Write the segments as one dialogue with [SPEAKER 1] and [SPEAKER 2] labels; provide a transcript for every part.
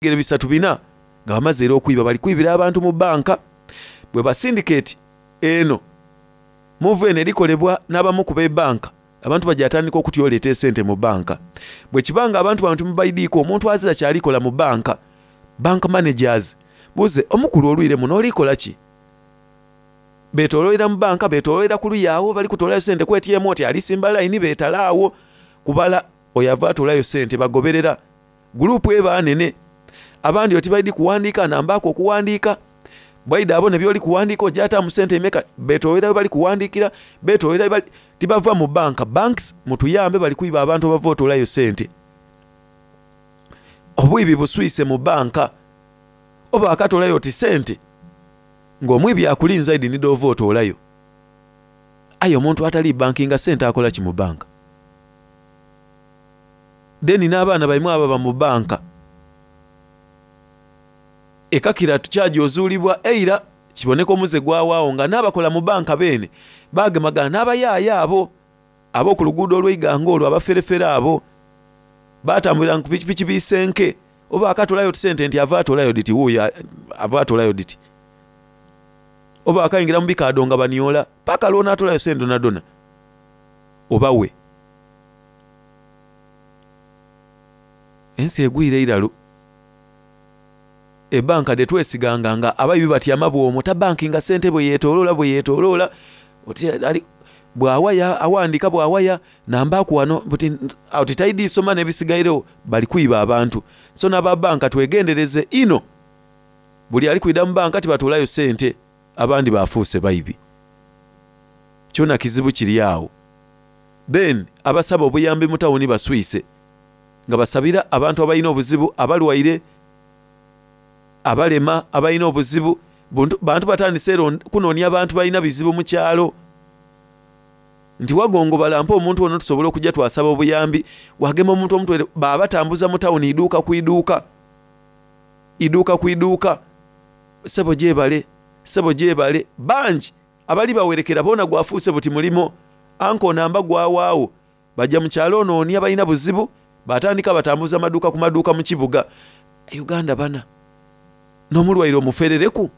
[SPEAKER 1] Ebigere bisatu bina nga bamaze era okwiba bali kwibira abantu mu banka. Bweba sindiketi eno move eno erikolebwa n'abamu ku b'ebanka abantu baja atandika okutya oleeta esente mu banka. Bwekiba nga abantu bano timubaidhiiku omuntu azira kyali kola mu banka, bank managers, buuze omukulu olwire muno oli kola ki? Betoloolera mu banka, betoloolera ku luya agho bali kutoolayo sente ku ATM oti ali simba layini betala agho kubala oyo ava atoolayo sente bagoberera. Guluupu eba nene. Abandi oti baidhi kuwandiika anambaaku okuwandiika. Bwaidha abone by'oli kuwandiika oja ataamu sente imeka. Beetoolera we bali kuwandiikira, beetoolera we bali... Tibava mu banka. Banks mutuyambe bali kwiba abantu abava otoolayo sente. Obwibi buswise mu banka. Oba akatoolayo oti sente ng'omwibi akulinze aidhi ni dh'ova otoolayo. Aye omuntu atali bankinga sente akola ki mu banka? Then n'abaana baimwe ababa mu banka. Ekakira tukyaja ozuulibwa eira kiboneka omuze gwawaagho nga n'abakola mu banka beene baagemagana n'abayaaya abo ab'oku luguudo olw'eighanga olwo abaferefere abo. Baatambuliranga ku pikipiki biisenke oba akatoolayo otusente nti ava atoolayo dhiti wuuyo ava atoolayo dhiti. Oba akaingira mu bikaadho nga baniola paka lw'onaatoolayo sente dhonadhona obawe. Ensi egwire eiralu. Ebanka dhe twesiganga nga abaibi batyama bwomwo tabankinga sente bwe yetoloola bwe yetoloola oti ali bwawaya awandika bwawaya nambaku wano buti oti taidhi soma n'ebisigairegho bali kwiba abantu. So n'aba banka twegendereze inho buli ali kwidha mu banka tibatoolayo sente abandi bafuuse baibi. Kyona kizibu kiri agho. Then abasaba obuyambi mu tawuni baswise nga basabira abantu abalina obuzibu, abalwaire, abalema, abalina obuzibu. Bantu batandise era kunonia bantu balina bizibu mu kyalo. Nti wagongobala mpa omuntu ono tusobole okuja twasaba obuyambi. Wagema omuntu omutwere, babatambuza mu tawuni iduuka ku iduuka. Iduuka ku iduuka. Sebo gyebale, sebo gyebale. Bangi! Abali bawerekera boona gwafuuse buti mulimo. Anko namba gwawaagho. Baja mu kyalo onoonia balina buzibu, baatandika batambuza maduuka ku maduuka mu kibuga. Uganda bana. N'omulwaire omuferereku.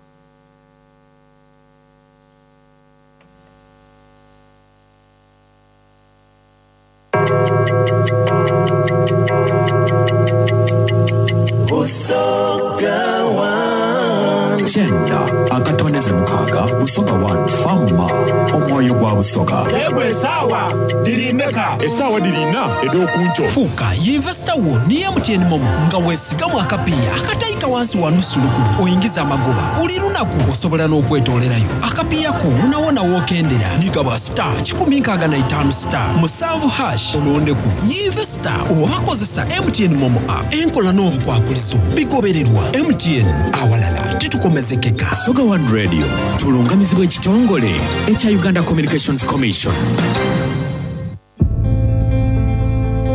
[SPEAKER 2] Busoga One. Kyenda akatondeze mukaaga Busoga One Fama omwoyo gwa Busoga.
[SPEAKER 3] Ego esaawa dhiri imeka?
[SPEAKER 4] Esaawa dhiri ina edh'okunkyo.
[SPEAKER 5] Fuuka yinvesita wo ni MTN Momo nga wesigamu akapiiya akataika wansi wa nusu lukumi oingize amagoba buli lunaku. Osobola n'okwetoolerayo akapiiya ko wonawona w'okendera ni gaba star 165 star musanvu hash olondeku Yinvesita oba kozesa MTN Momo app. Enkola n'obukwakulizo bigobererwa. MTN, awalala titukomezekeka.
[SPEAKER 2] Busoga One Radio tulungamizibwa ekitongole ekya Uganda Communications Commission.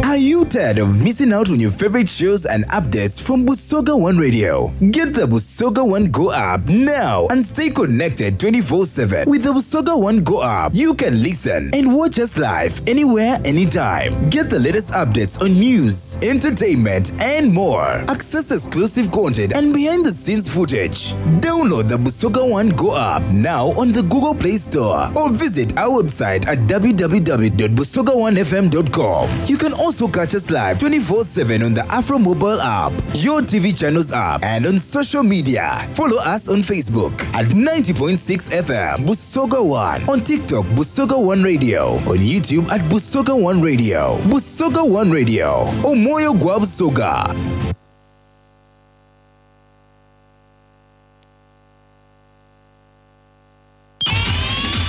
[SPEAKER 6] Are you tired of missing out on your favorite shows and updates from Busoga One Radio? Get the Busoga One Go app now and stay connected 24 7. With the Busoga One Go app, you can listen and watch us live anywhere, anytime. Get the latest updates on news, entertainment, and more. Access exclusive content and behind the scenes footage. Download the Busoga One Go app now on the Google Play Store or visit our website at www.busoga1fm.com. You can also catch us live 24 7 on the Afro Mobile app, your TV channels app, and on social media. Follow us on Facebook at 90.6 FM Busoga One, on TikTok Busoga One Radio, on YouTube at Busoga One Radio, Busoga One Radio, Omoyo Gwa Busoga.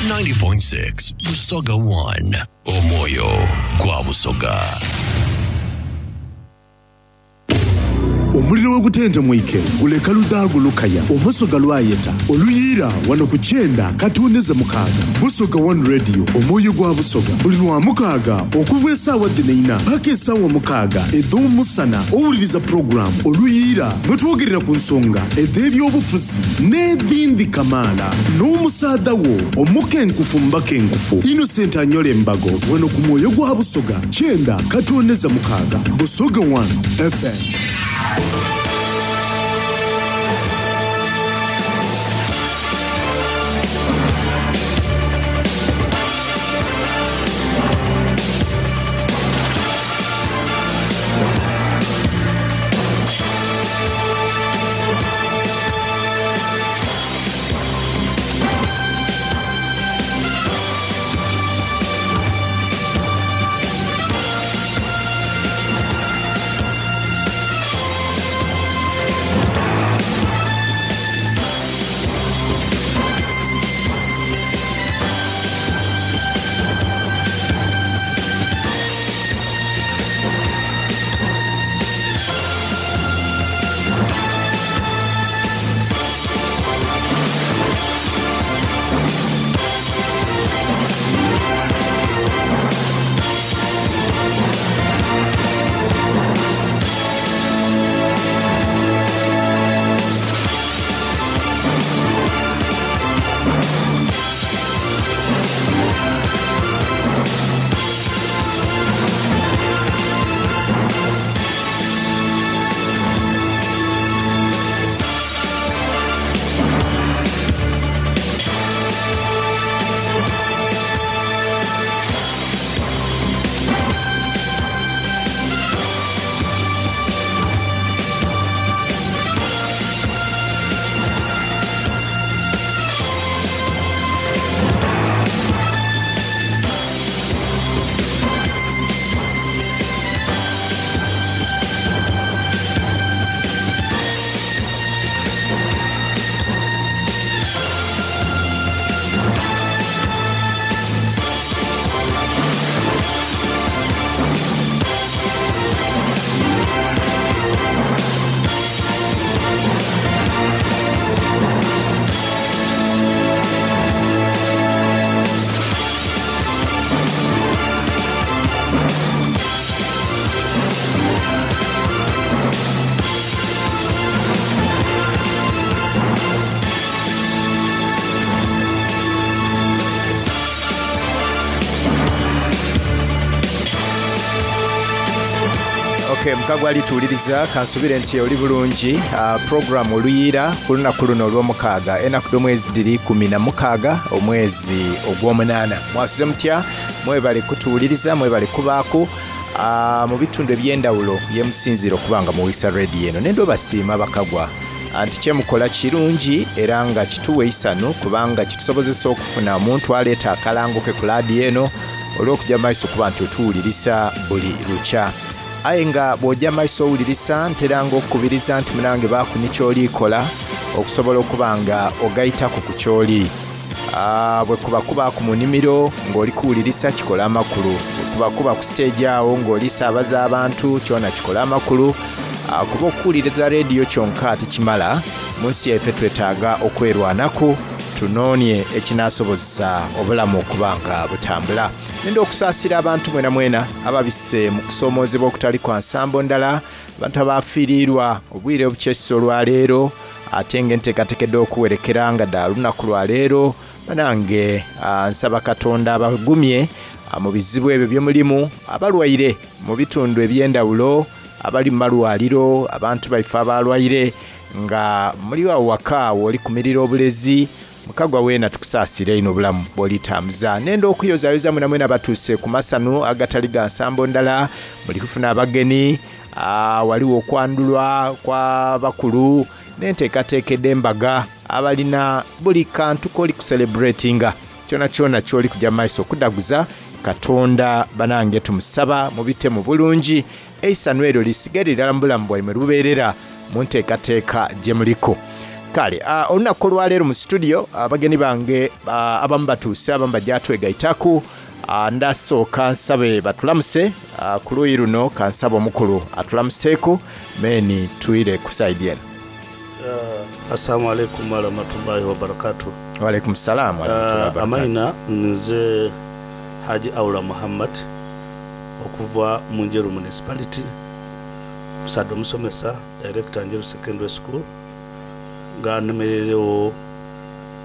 [SPEAKER 7] 90.6 Busoga 1 Omwoyo gwa Busoga.
[SPEAKER 8] Omuliro wegutentemwike guleka ludhaagu lukaya, Omusoga lwayeta oluyiira wano ku kyenda katondeze mukaaga Busoga One Radio omwoyo gwa Busoga buli Lwamukaaga okuva esaawa dhino eina paka esaawa mukaaga edh'omusana owuliriza pulogulaamu Oluyiira mwetwogerera ku nsonga edh'ebyobufuzi N'edhindhi kamaala. N'omusaadha wo omukenkufu mu bakenkufu, Innocent Anyole Mbago, wano ku Mwoyo gwa Busoga, kyenda katooneza mukaaga, Busoga One FM.
[SPEAKER 9] Ok, mukagwa ali tuwuliriza kansubire nti oli bulungi. Program Oluyiira ku lunaku luno olwomukaaga enaku dh'omwezi dhiri 16 omwezi ogw'omunaana. Mwasuze mutya? Mwebale kutuwuliriza, mwebale kubaaku mu bitundu eby'endawulo yemusinziira okuba nga muwulisa radio eno. Nenda obasiima bakagwa nti kyemukola kirungi era nga kituwa eisanhu kubanga kitusobozesa okufuna omuntu aleeta akalango ke ku laadiyo eno olw'okuja maiso okuba nti otuwulirisa buli lukya. Aye nga bw'oja maiso owulirisa, nteranga okukubiriza nti munange baaku ni ky'oli kola okusobola okuba nga ogaitaku ku ky'oli. Bwe kuba kubaaku mu nimiro ng'oli kuwulirisa kikola amakulu. Bwe kuba kuba ku siteegi agho ng'oli saabaza abantu kyona kikola amakulu. Kuba okuwuliriza leediyo kyonka tikimala, mu nsi yaife twetaaga okwerwanaku tunoonie ekinaasobozesa obulamu okuba nga butambula. Nenda okusaasira abantu mwenamwena ababise mu kusoomoozebwa okutali kwa nsambo ndala, abantu abaafiiriirwa obwire obukyesisa olwaleero ate nga enteekateeka edh'okuwerekera nga dha lunaku lwa leero. Banange nsaba Katonda abagumye mu bizibu ebyo bye mulimu, abalwaire mu bitundu eby'endhawulo, abali mu malwaliro, abantu baife abalwaire nga muli agho waka w'oli kumirira obulezi, mukagwa weena tukusaasira inho obulamu bw'oli tambuza. Nenda okuyozayoza mwenamwena abatuuse ku masanhu agatali ga nsambo ndala, muli kufuna abageni, ghaligho okwandhulwa kwa bakulu n'enteekateeka edh'embaga, abalina buli kantu k'oli kusereburetinga kyonakyona ky'oli kuja mu maiso okudhaguza Katonda. Banange tumusaba mubitemu bulungi, eisanhu eryo lisigale irala mu bulamu bwaimwe lubeerera mu nteekateeka gye muliku. Kale olunaku olwaleero mu situdiyo abageni bange abamu batuuse, abamu baja twegaitaku. Ndasooka nsabe batulamuse ku luuyi luno, kansabe omukulu atulamuseeku meni twire ku saidi eno.
[SPEAKER 10] Assalamu alaikum warahmatullahi wabarakatuh.
[SPEAKER 9] Waalaikum salaam warahmatullahi wabarakatuh.
[SPEAKER 10] Amaina nze Haji Aula Muhammad okuva mu Njeru Municipality, musaadha omusomesa, Director Njeru Secondary School nga nemereiregho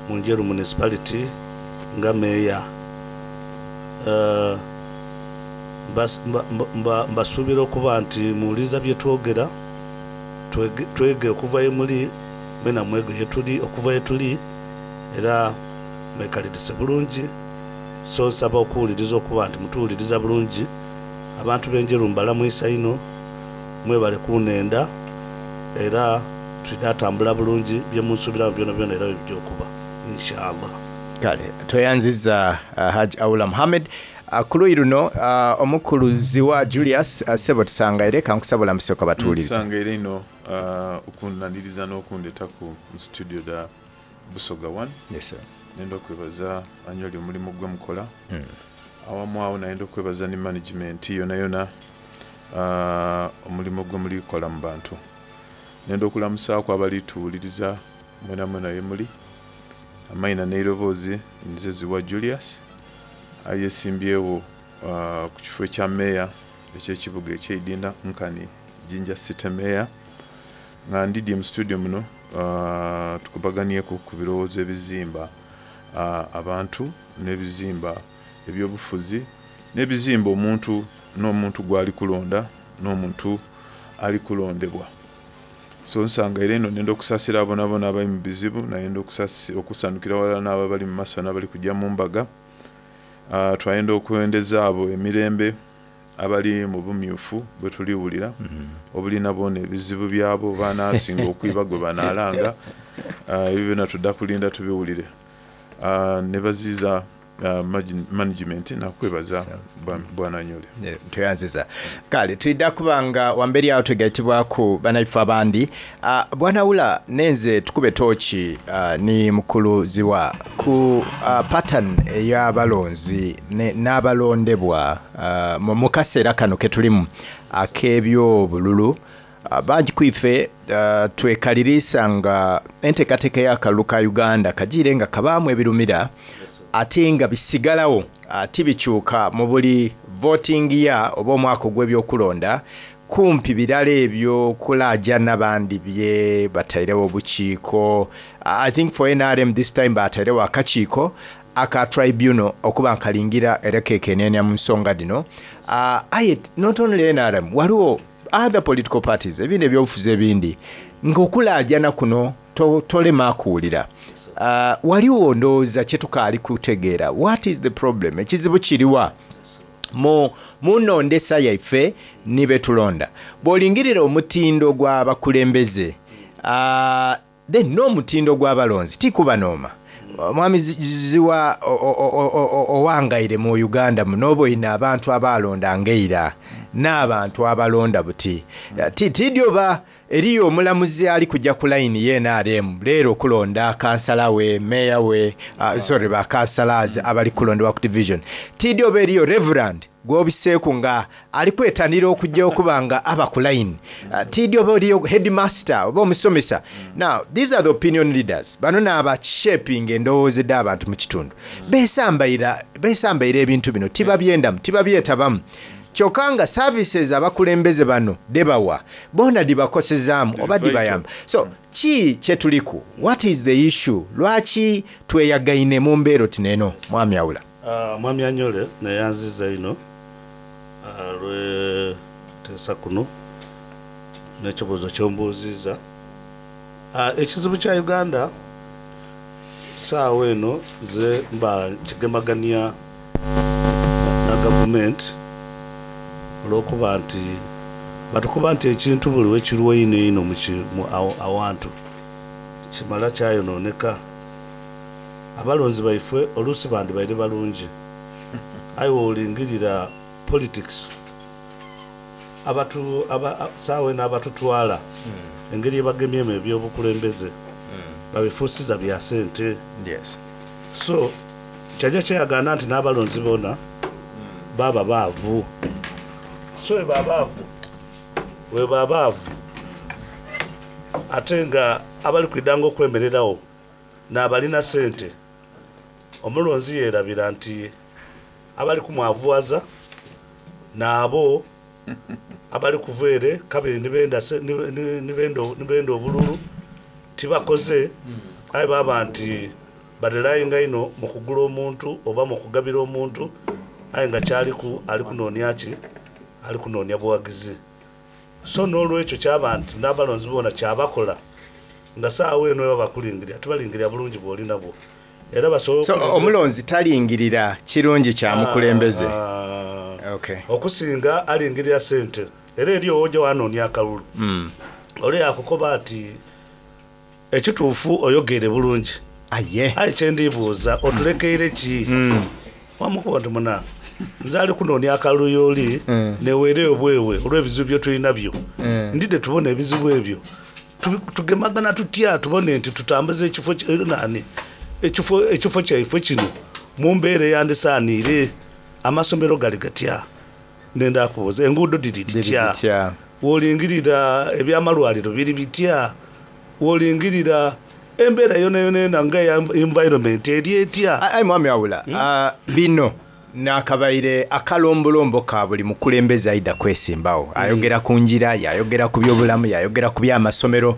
[SPEAKER 10] mu Njeru Municipality nga Meeya. Mbasuubira okuba nti muwuliriza bye twogera, twege okuva ye muli, mwena mwege ye tuli okuva ye tuli, era mwekalirise bulungi. So nsaba okuwuliriza okuba nti mutuwuliriza bulungi. Abantu b'e Njeru mbalamwisa inho, mwebale kunhenda era twidha tambula bulungi, bye munsuubiramu byonabyona era bwe bija okuba. Insha Allah.
[SPEAKER 9] Kale tweyanziza Hajj Aula Muhammad. Ku luuyi luno omukulu Ziwa Julius, ssebo tusangaire, kankusaba olamuse ku abatuwuliriza.
[SPEAKER 4] Nsangaire inho okunaniriza n'okundetaku mu studio dha Busoga One.
[SPEAKER 9] Yes sir.
[SPEAKER 4] Nenda okwebaza Anywali omulimu gwemukola. Awamu agho nayenda okwebaza ni management yonayona omulimo gwemuli kola mu bantu. Nenda okulamusaaku abali tuwuliriza mwenamwena yemuli. Amaina n'eiroboozi nze Ziwa Julius ayesimbyewo ku kifo ekya Meeya eky'ekibuga eky'eidinda nkani Jinja City Meeya nga ndidhye mu situdiyo muno tukubaganyeku ku birowoozo ebizimba abantu n'ebizimba eby'obufuzi n'ebizimba omuntu n'omuntu gwali kulonda n'omuntu ali kulondebwa. So nsangaire inho nenda okusasira bonabona abali mu bizibu, nayenda okusanhukira ghalala n'abo abali mu masanhu abali kuja mu mbaga. Twayenda okwendeza abo emirembe abali mu bumyufu bwe tuli wulira, obulina bwona ebizibu byabwo, banasinga okwiba gwe banalanga. Ebyo byona twidha kulinda tubiwulire. Nebaziiza management nakwebaza Bwana Nyole.
[SPEAKER 9] Tweyanziza. Kale twidha kuba nga wamberi agho twegaitibwaku banaife abandi. Bwana Wula nenze tukube tooki ni Mukulu Ziwa ku pattern ey'abalonzi n'abalondebwa mu kaseera kano ketulimu ak'ebyobululu. Bangi ku ife twekaliriisa nga enteekateeka ey'akalulu ka Uganda kajiire nga kabaamu ebirumira ate nga bisigalagho tibikyuka mu buli voting year oba omwaka ogw'ebyokulonda. Kumpi birala ebyo kulaajana bandi bye batairegho obukiiko. I think for nrm this time baatairegho akakiiko aka tribunal okuba nga kalingira era kekeneenha mu nsonga dhino. Aye not only nrm, ghaligho. other political parties, ebindi ebyobufuzi ebindi, nga okulaajana kuno to, tolema kuwulira. Waliwo ndowooza kyetukaali kutegeera. What is the problem? Ekizibu kiriwa mu, mu nondesa yaife ni betulonda? Bwolingirira omutindo gw'abakulembeze, uh, then n'omutindo gw'abalonzi tikubanooma. Mwami Ziwa owangaire mu Uganda muno, oboine abantu abaalondanga eira n'abantu abalonda buti. Tiidhi oba eriyo omulamuzi ali kuja ku layini ye nrm leero okulonda kansala we, meeya we, sorry ba councillors abali kulondebwa ku division. Tiidhi oba eriyo reverend gwobiseeku nga ali kwetanira okuja okuba nga aba ku line. Tiidhi oba eriyo headmaster oba omusomesa. Now, these are the opinion leaders. Bano n'aba shaping endowooza edh'abantu mu kitundu. Besambaira, besambaira ebintu bino, tibabyendamu, tibabyetabamu. Kyoka nga services abakulembeze bano dhebawa bona dhibakosezaamu oba dhibayamba. So, ki kyetuliku? What is the issue? Lwaki tweyagaine mu mbeera oti n'eno, Mwami Aula?
[SPEAKER 10] Mwami Anyole neyanziza inho olw'enteesa kuno n'ekibuuzo ky'ombuuziiza. Ekizibu kya Uganda saagha eno nze mba nkigemagania na gavumenti olw'okuba nti batukoba nti ekintu buli lwekirwa einho einho awantu kimala kyayonooneka. Abalonzi baifwe oluusi bandibaire balungi aye bwolingirira politics abatu sawa eno abatutwala engeri yebagemyemu ebyobukulembeze babifuusiza bya sente. So kyaja kyeyagaana nti n'abalonzi boona baaba baavu. So bwebaba baavu, bwebaba baavu ate nga abali kwidhanga okwemereragho N'abalina sente, omulonzi yeerabira nti abali kumwavuwaza n'abo abali kuva ere kabiri ni benda obululu tibakoze aye baaba nti barelainga inho mu kugula omuntu oba mu kugabira omuntu aye nga ky'aliku ali kunoonia ki? Ali kunoonia bughagizi. So n'olwekyo kyaba nti n'abalonzi boona kyabakola nga saagho eno bwebaba bakulingirira tibalingirira bulungi bw'oli nabwo era basobola
[SPEAKER 9] So
[SPEAKER 10] okulingirira.
[SPEAKER 9] omulonzi talingirira kirungi kya mukulembeze? Okay.
[SPEAKER 10] Okusinga alingirira sente. Era eriyo w'oja wanoonia akalulu, ole yaakukoba ati Ekituufu oyogeire bulungi.
[SPEAKER 9] Aye.
[SPEAKER 10] Aye kye ndi buuza otulekeire ki? Wamukoba nti muna, nze ali kunoonia akalulu y'oli neweereyo bwewe olw'ebizibu bye tuli nabyo. Ndidhe tubone ebizibu ebyo tugemagana tutya tubone nti tutambuza ekifo naani ekifo ekifo kyaifwe kino mu mbeera eyandisaaniire. Amasomero gali gatya? Ndenda kubuuza, enguudo dhiri dhitya? Bw'olingirira eby'amalwaliro biri bitya? Bw'olingirira embeera yonayonayona nga eya environment eri etya?
[SPEAKER 9] Aye Mwami Wabula, bino n'akabaire akalombolombo ka buli mukulembeze aidha kwesimbagho. Ayogera ku ngira, yaayogera ku byobulamu, yaayogera ku by'amasomero,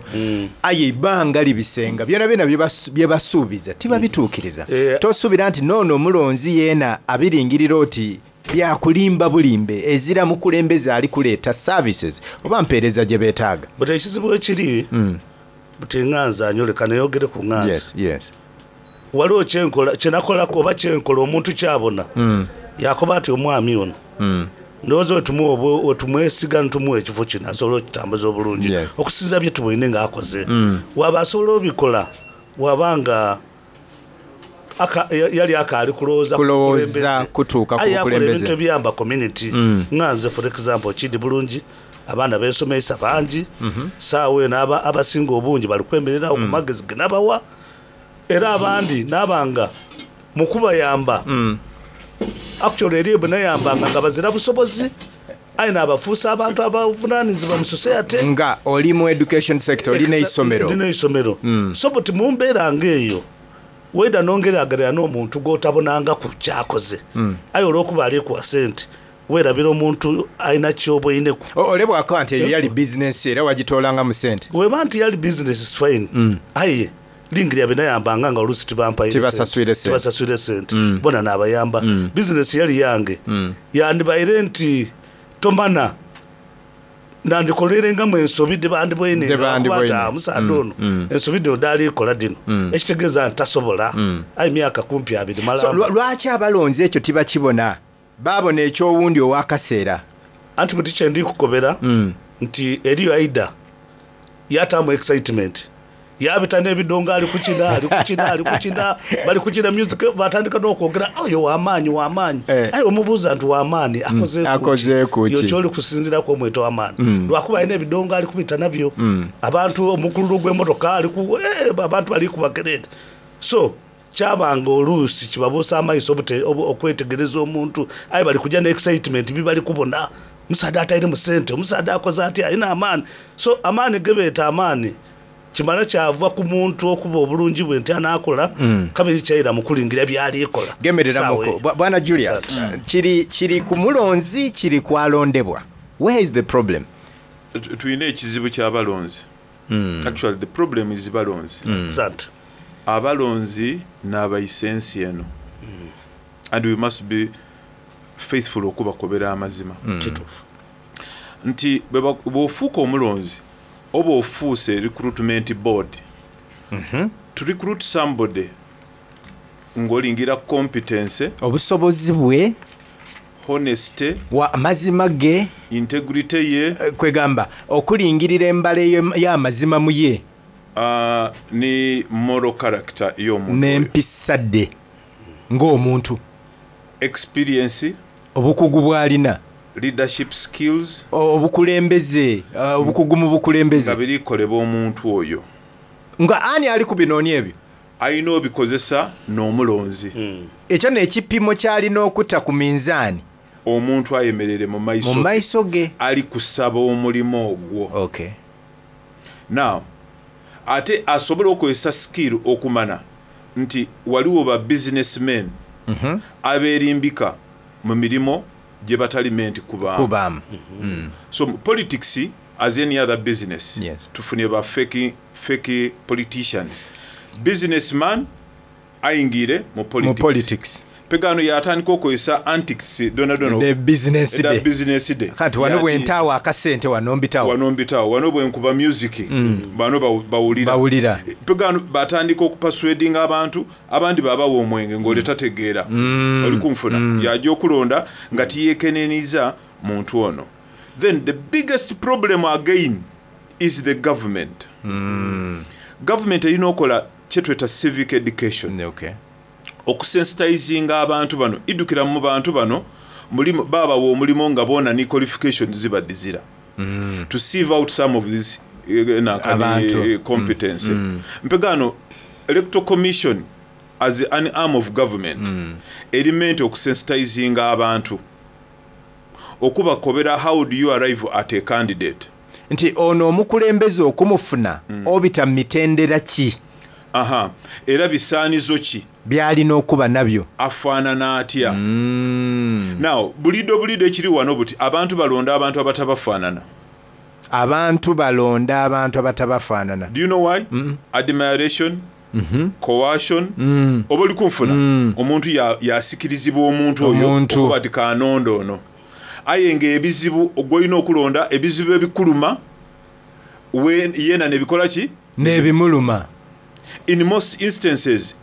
[SPEAKER 9] aye eibanga libise nga byonabyona bye basuubiza tibabituukiriza. Tosuubira nti n'ono omulonzi yeena abiringirira oti Bya kulimba bulimbe, ezira mukulembeze ali kuleeta services oba mpeereza gye betaaga.
[SPEAKER 10] But ekizibu wekiri buti nga nze anyole kaneyogere ku nga nze.
[SPEAKER 9] Yes, yes.
[SPEAKER 10] Waliwo kyenkola kyenakolaku oba kyenkola omuntu kyabona yakoba ati omwami ono ndowooza wetumuwa wetumwesiga nitumuwa ekifo kino asobola okitambuza obulungi okusinzira byetubwoine nga akoze. Waba asobola obikola waba nga aka, yali akaali kulowooza ku
[SPEAKER 9] Kulowooza
[SPEAKER 10] bukulembeze
[SPEAKER 9] kutuuka ku
[SPEAKER 10] aye yakola
[SPEAKER 9] bukulembeze.
[SPEAKER 10] ebintu ebiyamba community nga nze for example kidi bulungi abaana bensomeisa bangi saawa eno aba, abasinga obungi bali kwemereragho ku magezi genabawa era abandi naba nga mukubayamba actually eriyo benayambanga nga bazira busobozi aye nabafuusa abantu abavunanizibwa mu society.
[SPEAKER 9] Nga oli mu education sector, oli n'eisomero.
[SPEAKER 10] Ndi n'eisomero. So buti mu mbeera ng'eyo, waidha n'ongerageranya n'omuntu gw'otabonangaku ky'akoze, aye olw'okuba ali kuwa sente, weerabira omuntu alina ky'oboineku.
[SPEAKER 9] Ole bw'akoba nti eyo yali bizinensi yo era wagitoolangamu sente.
[SPEAKER 10] Bw'eba nti yali bizinesi it's fine, aye lingirira be nayambanga nga oluusi tibampaire sente, tibasaswire sente, bona naabayamba. Bizinesi yali yange, yandibaire nti tomana. Nandikoleirengamu ensobi dhe bandibwoine
[SPEAKER 9] Dhe
[SPEAKER 10] nga bakoba nti,
[SPEAKER 9] bandibwoine.
[SPEAKER 10] Ah, omusaadha ono ensobi dhino dh'ali kola dhino, ekitegeeza nti tasobola. Aye myaka kumpi abiri
[SPEAKER 9] So,
[SPEAKER 10] malamba.
[SPEAKER 9] lwa, lwaki abalonzi ekyo tibakibona? Baabona eky'owundi ow'akaseera.
[SPEAKER 10] Anti buti kye ndi kukobera nti eriyo aidha yaataamu excitement. Yaabita n'ebidongo ali kukina, ali kukina, ali kukina, bali kukina music, baatandika n'okwogera, oyo wa maanyi, wa maanyi. Aye bw'omubuuza nti wa maanyi, akozeeku ki?
[SPEAKER 9] Akozeeku
[SPEAKER 10] Yo
[SPEAKER 9] ki?
[SPEAKER 10] ky'oli kusinziiraku omweta wa maani. Lwakuba alina ebidongo ali kubita nabyo. Abantu, omukululo gw'emotoka ali ku, eeh, abantu bali kuba kereere. So, kyaba nga oluusi kibabuusa amaiso obute, okwetegereza omuntu. Aye bali kuja ni excitement bi bali kubona. Omusaadha atairemu sente, omusaadha akoze atya, alina amaani. So, amaani ge beeta amaani. Kimala kyava ku muntu okuba obulungi bwe nti anaakola, kabiri kyaira mu kulingira by'ali kola ku saawa
[SPEAKER 9] Gemereramuku.
[SPEAKER 10] eyo.
[SPEAKER 9] Bwana Julius,
[SPEAKER 10] Asante.
[SPEAKER 9] kiri, kiri ku mulonzi, kiri ku alondebwa? Where is the problem?
[SPEAKER 4] Tulina ekizibu ky'abalonzi. Actually the problem is balonzi.
[SPEAKER 10] Asante.
[SPEAKER 4] Abalonzi n'abaisa ensi eno and we must be faithful okubakobera amazima.
[SPEAKER 10] Kituufu.
[SPEAKER 4] Nti bw'ofuuka omulonzi oba ofuuse recruitment board. To recruit somebody ng'olingira competence,
[SPEAKER 9] Obusobozi bwe,
[SPEAKER 4] honesty,
[SPEAKER 9] wa amazima ge,
[SPEAKER 4] integrity ye,
[SPEAKER 9] kwegamba okulingirira embala y'amazima mu ye
[SPEAKER 4] ni moral character y'omuntu oyo,
[SPEAKER 9] n'empisa dhe ng'omuntu,
[SPEAKER 4] experience,
[SPEAKER 9] obukugu bw'alina,
[SPEAKER 4] leadership skills,
[SPEAKER 9] obukulembeze, obukugu mu
[SPEAKER 4] nga
[SPEAKER 9] bukulembeze.
[SPEAKER 4] birikolebwa omuntu oyo.
[SPEAKER 9] Nga ani ali ku binoonia ebyo?
[SPEAKER 4] Alina obikozesa n'omulonzi.
[SPEAKER 9] Ekyo n'ekipimo ky'alina okuta ku minzaani.
[SPEAKER 4] Omuntu ayemereire mu
[SPEAKER 9] Mu
[SPEAKER 4] maiso ge
[SPEAKER 9] maiso ge.
[SPEAKER 4] ali kusaba omulimu ogwo.
[SPEAKER 9] Okay.
[SPEAKER 4] Now, ate asobole okozesa skill okumana nti waliwo ba businessmen aberimbika mu mirimo gye batali meant kubaamu.
[SPEAKER 9] Kubaamu.
[SPEAKER 4] So politics as any other business,
[SPEAKER 9] Yes.
[SPEAKER 4] tufunye ba fake, fake politicians. Businessman ayingire mu
[SPEAKER 9] Mu
[SPEAKER 4] politics.
[SPEAKER 9] politics.
[SPEAKER 4] Pegano yatandika okozesa antics dona dona
[SPEAKER 9] The business
[SPEAKER 4] eda
[SPEAKER 9] day.
[SPEAKER 4] business day.
[SPEAKER 9] Kati wano bwentaawo akasente wano mbitawo.
[SPEAKER 4] Wano mbitawo, wano bwenkuba music, bano bawulira.
[SPEAKER 9] Bawulira.
[SPEAKER 4] Pegano batandika okupaswedinga abantu, abandi babawa omwenge ng'ole tategeera. Oli kunfuna. Yajja okulonda nga tiyeekeneniza muntu ono. Then the biggest problem again is the government. Government erina okola kyetweta civic education.
[SPEAKER 9] Okay.
[SPEAKER 4] Okusensitizinga abantu bano, idukira mu bantu bano, mulimu, babawa omulimu nga bona ni qualifications ziba dizira. To sieve out some of these
[SPEAKER 9] Abantu.
[SPEAKER 4] competence. Mpegano, Electoral Commission as an arm of government eri meant okusensitizinga abantu. Okubakobera how do you arrive at a candidate.
[SPEAKER 9] Nti ono omukulembeze okumufuna obita mu mitendera ki?
[SPEAKER 4] Aha, era bisaanizo ki?
[SPEAKER 9] By'alina okuba nabyo.
[SPEAKER 4] Afaanana atya? Now, bulido bulido ekiri wano buti abantu balonda abantu abatabafaanana.
[SPEAKER 9] Abantu balonda abantu abatabafaanana.
[SPEAKER 4] Do you know why? Admiration, coercion, oba oli kunfuna? Omuntu yasikirizibwa omuntu oyo
[SPEAKER 9] Omuntu.
[SPEAKER 4] okuba ati kanonda ono. Aye ng'ebizibu gw'olina okulonda, ebizibu ebikuluma, yena nebikola ki?
[SPEAKER 9] N'ebimuluma.
[SPEAKER 4] In most instances,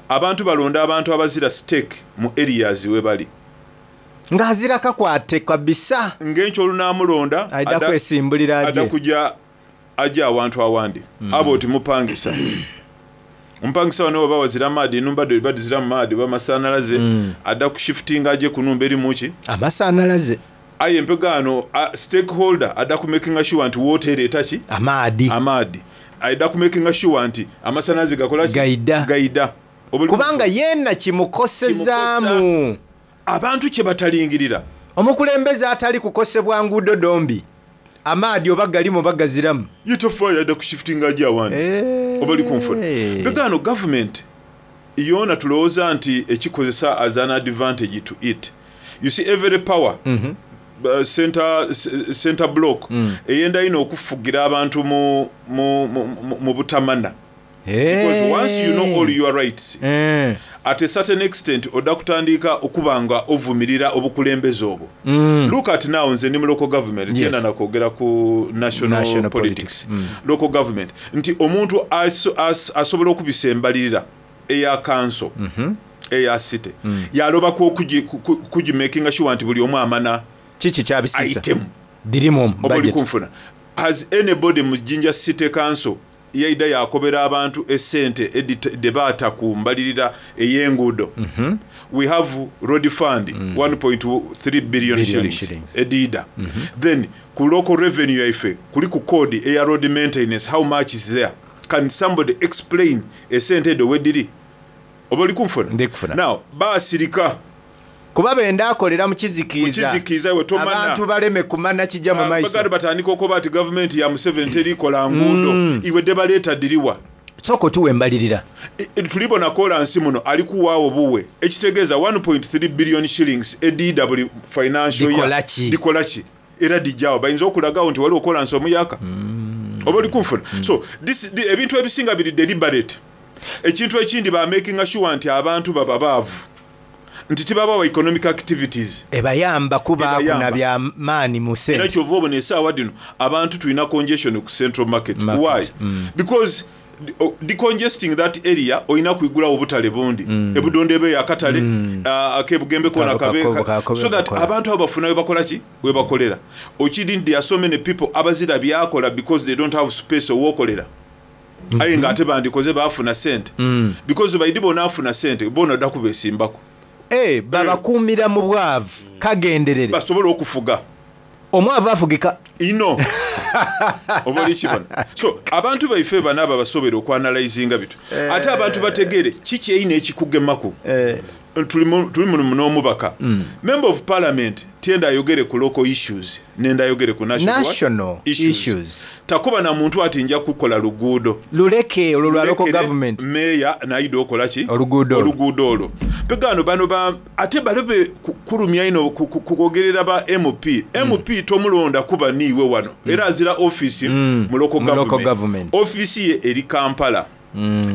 [SPEAKER 4] abantu balonda abantu abazira stake mu areas we bali.
[SPEAKER 9] Ng'azira kakwate kabisa.
[SPEAKER 4] Ng'enkyo olunaamulonda,
[SPEAKER 9] Aidha kwesimbulira aje.
[SPEAKER 4] adda kujja ajja awantu awandi. Abo oti mupangisa. Omupangisa wano oba wazira maadi, enumba dde badizira mu maadi oba amasannyalaze, adda kushiftinga aje ku numba eri mu ki?
[SPEAKER 9] Amasannyalaze.
[SPEAKER 4] Aye empegaano, stakeholder adda ku making sure nti wooteeri eta ki?
[SPEAKER 9] Amaadi.
[SPEAKER 4] Amaadi. Adda ku making sure nti amasannyalaze gakola ki?
[SPEAKER 9] Gaida.
[SPEAKER 4] Gaida.
[SPEAKER 9] Kubanga yenna kimukosezaamu.
[SPEAKER 4] Abantu kye batalingirira.
[SPEAKER 9] Omukulembeze atali kukosebwa nguudo dombi. Amaadi oba galimu oba gaziramu.
[SPEAKER 4] Ye tofaayo adda kushiftinga aje awandi. Oba oli kunfuna. Mpegaano government yoona tulowooza nti ekikozesa as an advantage to it. You see every power center block eyenda ino okufugira abantu mu butamana. Because once you know all your rights, at a certain extent odha kutandiika okuba nga ovumirira obukulembeze obwo. Look at now nze ndi mu local government, tyenda na kwogera ku national
[SPEAKER 9] National
[SPEAKER 4] politics.
[SPEAKER 9] politics. Mm.
[SPEAKER 4] Local government nti omuntu asobola okubisa embalirira eya council, eya city, yalobaku okugimakinga sure nti buli omu amana
[SPEAKER 9] Kiki kyabisisa?
[SPEAKER 4] item.
[SPEAKER 9] Dhirimu
[SPEAKER 4] Oba oli
[SPEAKER 9] budget.
[SPEAKER 4] kunfuna. Has anybody mu Jinja City Council yaida yakobera abantu esente dhebaata ku mbalirira ey'enguudo? We have road fund 1.3 billion
[SPEAKER 9] Billion
[SPEAKER 4] shillings
[SPEAKER 9] shillings.
[SPEAKER 4] ediida. Then ku local revenue yaife kuli ku code eya road maintenance, how much is there? Can somebody explain esente edho wediri? Oba oli kunfuna?
[SPEAKER 9] Ndikufuna.
[SPEAKER 4] Now basirika.
[SPEAKER 9] Kuba benda akolera mu kizikiiza.
[SPEAKER 4] Mu kizikiiza we tomana.
[SPEAKER 9] Abantu baleme kumana kijja mu maiso.
[SPEAKER 4] Baganda batandika okuba ati gavumenti ya Museveni terikola nguudo. Iwe debaleeta diriwa.
[SPEAKER 9] Sooka otuwe embalirira.
[SPEAKER 4] Tulibona kolansi muno ali kuwaawo buwe ekitegeeza 1.3 billion shillings ediida buli financial year.
[SPEAKER 9] Dikola ki?
[SPEAKER 4] Dikola ki? Era dijjawo bayinza okulagawo nti waliwo kolansi omuyaka. Oba oli kunfuna. So ebintu ebisinga biri deliberate. Ekintu ekindi ba making sure nti abantu baba baavu, nti tibabawa economic activities
[SPEAKER 9] Ebayamba kuba
[SPEAKER 4] Ebayamba.
[SPEAKER 9] kuna bya maani mu
[SPEAKER 4] Era
[SPEAKER 9] sente.
[SPEAKER 4] kyova obona esaawa dino abantu tulina congestion ku central market.
[SPEAKER 9] Market.
[SPEAKER 4] Why? Because decongesting that area olina kwigulawo obutale bundi. Ebudonde ebe akatale, akebugembe kona
[SPEAKER 9] Kako,
[SPEAKER 4] kabe,
[SPEAKER 9] kako, kako,
[SPEAKER 4] so that
[SPEAKER 9] kakola.
[SPEAKER 4] abantu abo bafuna we bakola ki? We bakolera. Okiri nti there are so many people abazira byakola because they don't have space owokolera. Aye nga ate bandikoze baafuna sente. Because baidi bona afuna sente, bona odda kubesimbako.
[SPEAKER 9] Babakuumira mu bwavu kagenderere.
[SPEAKER 4] Basobole okufuga.
[SPEAKER 9] Omwavu afugika.
[SPEAKER 4] Ino. Oba oli kibona. So abantu baife bano abo basobera okwanalizinga bitu. Ate abantu bategere kiki eyina ekikugemaku. Tuli muno n'omubaka. Member of parliament tyenda ayogere ku local issues, nenda ayogere ku national what?
[SPEAKER 9] National issues.
[SPEAKER 4] Takuba na muntu ati nja kukola luguudo.
[SPEAKER 9] Luleke olwo lwa local
[SPEAKER 4] Lulekere
[SPEAKER 9] government.
[SPEAKER 4] Meya naida okola ki?
[SPEAKER 9] Oluguudo olwo.
[SPEAKER 4] Oluguudo olwo. Pegano bano ba ate balobe kulumya ino kwogerera ba MP. MP tomulonda kuba niiwe wano. Era azira office mu local
[SPEAKER 9] Mu local
[SPEAKER 4] government.
[SPEAKER 9] government.
[SPEAKER 4] Office ye eri Kampala.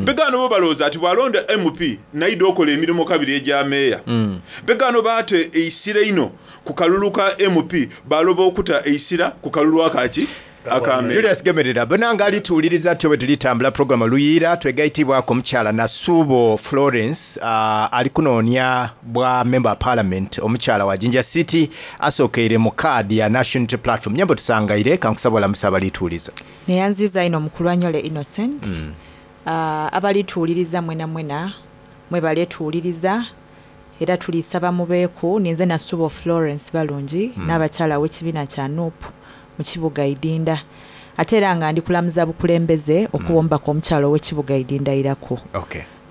[SPEAKER 4] Pegano bo balowooza ati bw'alonda MP naida okola emirimu kabiri egya meeya. Pegano baate eisira ino ku kalulu ka MP baloba okuta eisira ku kalulu akaki aka meeya.
[SPEAKER 9] Julius Gemerera bonanga alituwuliriza tyo bwe tulitambula program Luyiira twegayitibwako omukyala Nasubo Florence, ali kunoonya bwa member of parliament omukyala wa Jinja City asookeire mu kaadi ya National Unity Platform. Nyambo tusangaire kankusaba olamusa abalituwuliza.
[SPEAKER 11] Neyanziza ino mukulu Anyole Innocent. Abalituwuliriza mwena mwena mwebaletuwuliriza era tulisaba mubeeku. Ninze Nasubo Florence Balungi n'abakyala w'ekibiina kya NUP mu kibuga Idinda, ate era nga ndi kulamuza bukulembeze okuwombako omukyala ow'ekibuga Idinda Irako.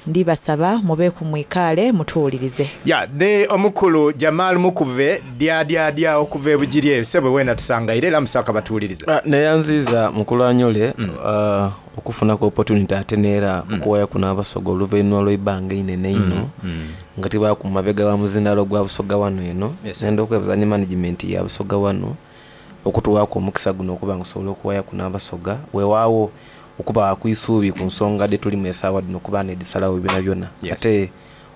[SPEAKER 11] Ndibasaba mubeeku mwikaale mutuwulirize.
[SPEAKER 9] Ya ne omukulu Jamal Mukuve dyadyadya okuva ebugiri eyo sebe wena tusangaire era musaka batuwuliriza.
[SPEAKER 12] Neyanziza mukulu Anyole, okufunako opportunity ate neera okuwaya kuno abasoga oluvannyuma lw'ebbanga einene ino nga tibaku mabega wa muzindalo gwa Busoga wano eno. Nenda okwebaza ne management ya Busoga wano okutuwaako omukisa guno okuba nga osobola okuwaya kuno abasoga, weewaawo okuba kwisuubi ku nsonga de tulimu esaawa dino okuba nedisalawo byona byona. Ate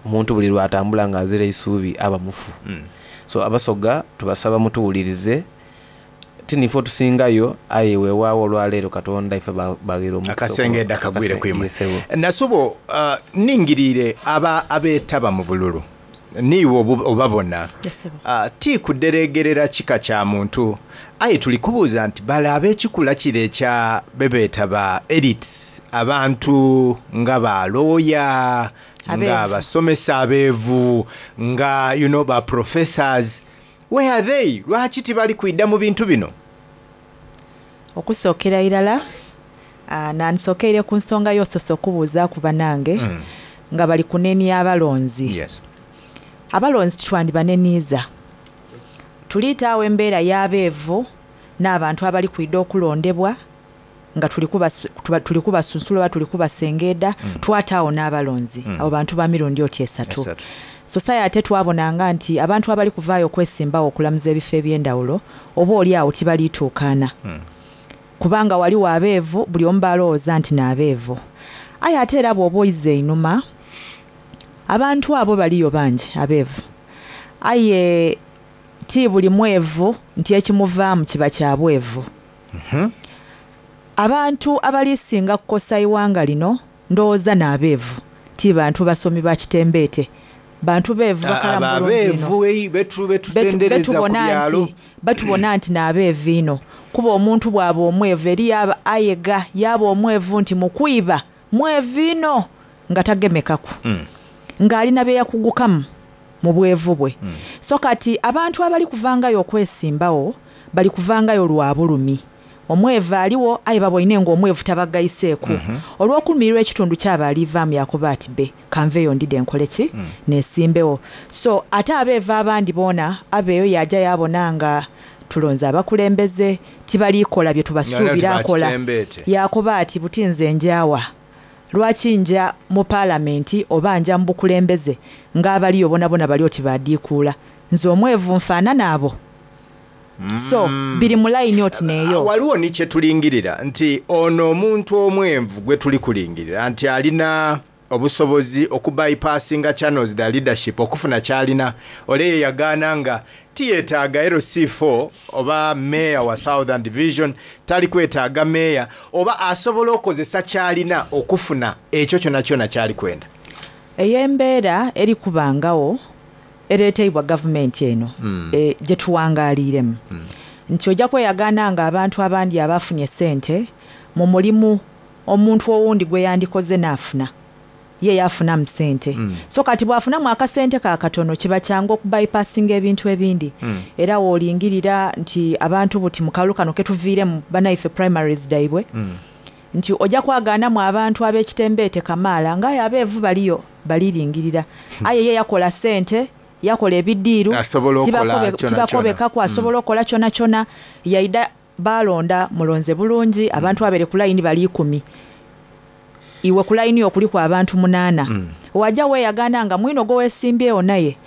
[SPEAKER 12] omuntu buli lwatambula ng'azira eisuubi aba mufu. So abasoga tubasaba mutuwulirize, tinife otusingayo, aye weewaawo olwaleero Katonda ife bagira omukisa
[SPEAKER 9] Akasengedda kagwire kwimwe.
[SPEAKER 12] Yesebo.
[SPEAKER 9] Nasubo, ningiriire aba abeetaba mu bululu niiwe obabona.
[SPEAKER 11] Yesebo.
[SPEAKER 9] Ti kuderegerera kika kya muntu, aye tuli kubuuza nti bale ab'ekikula kire ekya bebeetaba elites, abantu nga balooya, nga
[SPEAKER 11] Abeevu.
[SPEAKER 9] abasomesa abeevu, nga you know, ba professors, where are they? Lwaki tibali kwidda mu bintu bino?
[SPEAKER 11] Okusookera irala, nansookeire ku nsonga y'osoose okubuuza ku banange nga bali kunenia abalonzi. Abalonzi titwandibaneniiza, tuliitaawo embeera y'abeevu n'abantu abali kwidda okulondebwa nga tuli kubasunsula oba tuli kubasengeeda. Twataawo n'abalonzi. Abo bantu ba mirundi oti esatu.
[SPEAKER 9] Esatu.
[SPEAKER 11] So saye ate twabonanga nti abantu abali kuvaayo okwesimbawo okulamuza ebifo eby'endawulo oba oli awo tibaliituukaana, kubanga waliwo abeevu buli omu balowooza nti n'abeevu. Aye ate era bw'oba oize einhuma, abantu abo baliyo bangi abeevu aye ti buli mwevu nti ekimuvaamu kiba kya bwevu. Abantu abalisinga kukosa ighanga lino ndowooza n'abeevu ti bantu basomi ba kitembeete. Bantu beevu bakalamu bulungi inho.
[SPEAKER 9] Abeevu betutendereza ku byalo.
[SPEAKER 11] Batubona nti n'abeevu inho. Kuba omuntu bw'aba omwevu eriyo ayega yaaba omwevu nti mu kwiba mwevu inho nga tagemekaku. Ng'alina bye yakugukamu mu bwevu bwe. So kati abantu abali kuvangayo okwesimbawo bali kuvangayo lwa bulumi. Omwevu aliwo aye babwoine ng'omwevu tabagaiseeku. Olw'okulumirirwa ekitundu kyaba alivaamu yakoba ati be kanveeyo ndidhe nkole ki? Neesimbewo. So ate abeevu abandi boona abeeyo yaaja yaabona nga tulonze abakulembeze tibali kola bye tubasuubira akola. Yaakoba ati buti nze nja wa? Lwaki nja mu Palamenti oba nja mu bukulembeze ng'abaliyo bonabona bali oti baadiikuula? Nze omwevu nfaanana abo? So biri mu layini oti n'eyo.
[SPEAKER 9] Waliwo ni kye tulingirira nti ono omuntu omwenvu gwe tuli kulingirira nti alina obusobozi okubypassinga channels the leadership okufuna kyalina. Ole ye yagaana nga tiyetaaga LC4 oba mayor wa Southern Division, tali kwetaaga mayor, oba asobola okozesa kyalina okufuna ekyo kyona kyona kyali kwenda.
[SPEAKER 11] Eyo embeera eri kubangawo ereeteibwa gavumenti eno gye tuwangaaliiremu. Nti ojja kweyagaana nga abantu abandi abafunye sente mu mulimu omuntu owundi gwe yandikoze n'afuna ye yafunamu sente. So kati bw'afunamu akasente ka katono kiba kyangu okubypassinga ebintu ebindi. Era w'olingirira nti abantu buti mu kalulu kano ketuviiremu bannaife primaries dhaibwe, nti ojja kwagaanamu abantu ab'ekitembeete kamaala ng'aye abeevu baliyo baliringirira. Aye ye yakola sente, yakola ebidiiru,
[SPEAKER 9] Asobola okukola kyona kyona.
[SPEAKER 11] Tibakobekaku, asobola okukola kyona kyona. Yaida balonda mulonze bulungi, abantu abere ku layini bali 10. Iwe ku layini yo kuliku abantu 8. Wajja weeyagaana nga mwino gwe weesimbyewo naye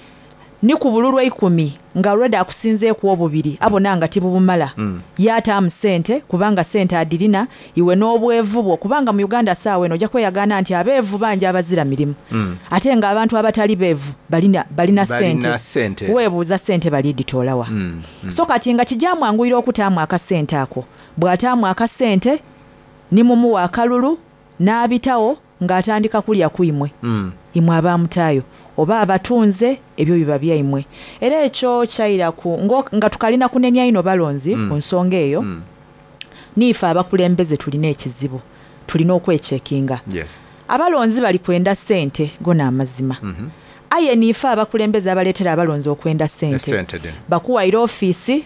[SPEAKER 11] ni ku bululu 10 nga already akusinzeeku obubiri abona nga tibubumala. Yaataamu sente kubanga sente adirina iwe n'obwevu bwo, kubanga mu Uganda saawa eno ojja kweyagaana nti abeevu bangi abazira mirimu. Ate ng'abantu abatali beevu balina
[SPEAKER 9] Balina
[SPEAKER 11] sente.
[SPEAKER 9] Sente.
[SPEAKER 11] Weebuuza sente baliditoolawa. So kati nga kijamwanguyira okutaamu akasente ako. Bw'ataamu akasente ni mumuwa akalulu n'abitawo ng'atandika kulya ku imwe. Imwe abamutaayo oba abatunze ebyo biba byaimwe. Era ekyo kyaira ku nga tukalina kunenya ino balonzi ku nsonga eyo. Niife abakulembeze tulina ekizibu, tulina okwechekinga. Abalonzi bali kwenda sente gona amazima. Aye niife abakulembeze abaleetera abalonzi okwenda sente.
[SPEAKER 9] Sente dino.
[SPEAKER 11] Bakuwaire ofiisi.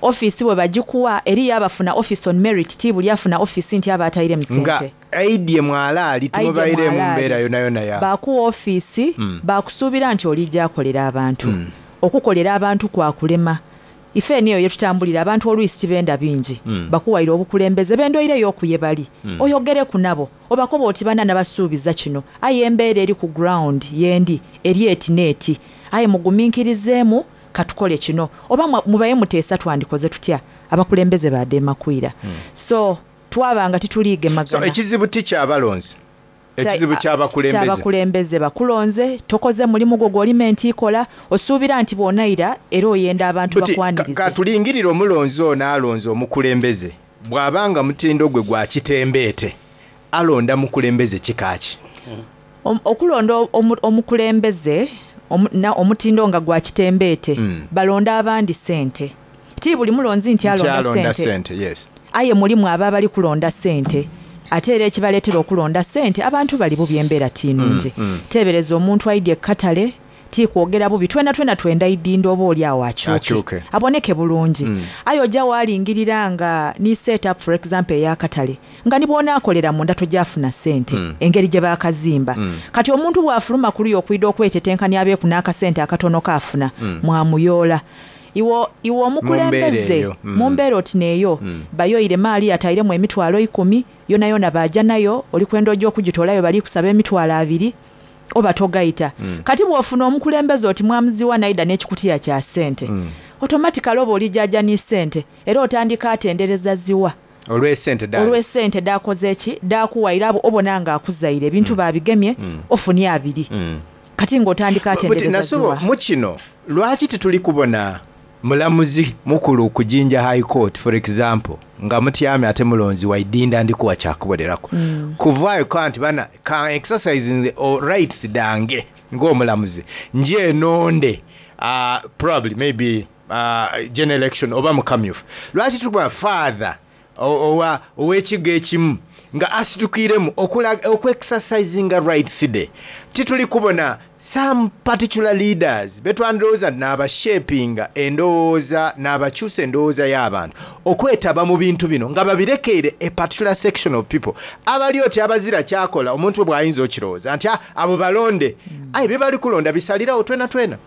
[SPEAKER 11] Ofiisi bwe bagikuwa eriyo abafuna office on merit, ti buli afuna ofiisi nti aba ataire mu
[SPEAKER 9] Nga
[SPEAKER 11] sente.
[SPEAKER 9] aidye mwalaali tumubaire mu mbeera yona yona ya.
[SPEAKER 11] Bakuwa ofiisi, bakusuubira nti olijja akolera abantu. Okukolera abantu kwakulema. Ife eno eyo yetutambulira abantu oluisi tibenda bingi. Bakuwaire obukulembeze bendoireyo okuye bali. Oyogere ku nabo obakoba oti bana nabasuubiza kino, aye embeera eri ku ground yendi eri eti n'eti, aye mugumiikirizeemu katukole kino, oba mubaye muteesa twandikoze tutya. Abakulembeze badeema kwira. So twabanga tituliigemagana.
[SPEAKER 9] So ekizibu ti kyabalonzi, ekizibu kyabakulembeze.
[SPEAKER 11] Kyabakulembeze. Bakulonze, tokoze mulimu gwo gw'olima entiikola, osuubira nti bw'onayira era oyenda abantu
[SPEAKER 9] Buti,
[SPEAKER 11] bakwanirize.
[SPEAKER 9] Katulingirire omulonzi ono alonze omukulembeze, bw'abanga mutindo gwe gwa kitembeete, alonda mukulembeze kikaaki?
[SPEAKER 11] Okulonda omukulembeze omutindo nga gwa kitembeete, balonda abandi sente. Ti buli mulonzi nti
[SPEAKER 9] Nti
[SPEAKER 11] alonda
[SPEAKER 9] alonda
[SPEAKER 11] sente.
[SPEAKER 9] Sente, yes.
[SPEAKER 11] Aye mulimu aba abali kulonda sente. Ate era ekibaleetera okulonda sente, abantu bali bubi, embeera tinungi. Teebereza omuntu aidye ekkatale, ti kwogera bubi, twena twena twenda idinda oba oli awo akyuke.
[SPEAKER 9] Akyuke.
[SPEAKER 11] Aboneke bulungi. Aye ojja waalingirira nga ni set up for example ey'akatale, nga ni bw'onaakolera munda tojafuna sente, engeri gye baakazimba. Kati omuntu bw'afuluma ku luyi okwida okwetetenkanya abeeku n'akasente akatono kaafuna, mwamuyoola. Iwe omukulembeze,
[SPEAKER 9] Mu mbeera eyo.
[SPEAKER 11] Mu mbeera oti n'eyo, bayoyire maali yatairemu emitwalo 10, yona yona baaja nayo, oli kwenda ojja okugitoolayo bali kusaba emitwalo 20, oba togayita. Kati bw'ofuna omukulembeze oti mwamuziwa naida n'ekikutiya kya sente, automatically oba olijaaja ni sente, era otandika atendereza ziwa.
[SPEAKER 9] Olw'esente dhaali.
[SPEAKER 11] Olw'esente dh'akoze ki? Dh'akuwaire abo obona nga akuzaire ebintu baabigemye ofunye abiri. Kati ng'otandika
[SPEAKER 9] Buti
[SPEAKER 11] atendereza
[SPEAKER 9] Nasubo,
[SPEAKER 11] ziwa.
[SPEAKER 9] mu kino lwaki tituli kubona mulamuzi mukulu ku Jinja High Court for example nga mutyamye ate mulonzi wa Idinda ndi kuwa kyakuboneraku kuvaayo ka nti bana ka exercisinge rights dhange ng'omulamuzi nje nonde probably maybe general election oba mu kamyufu. Lwaki tuli kubona father owa ow'ekigo ekimu nga asitukiremu oku-exercisinga rights de? Tituli kubona some particular leaders betwandowooza n'abashapinga endowooza n'abakyusa endowooza y'abantu okwetaba mu bintu bino nga babirekeire a particular section of people abali oti abazira kyakola omuntu bw'ayinza okirowooza nti abo balonde aye bye bali kulonda bisalirawo twena twena.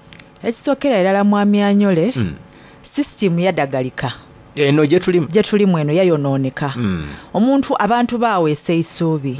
[SPEAKER 11] Ekisookera irala mwami Anyole, sisitimu yadagalika.
[SPEAKER 9] Eno gye tulimu.
[SPEAKER 11] Gye tulimu eno yayonooneka. Omuntu abantu baweesa eisuubi.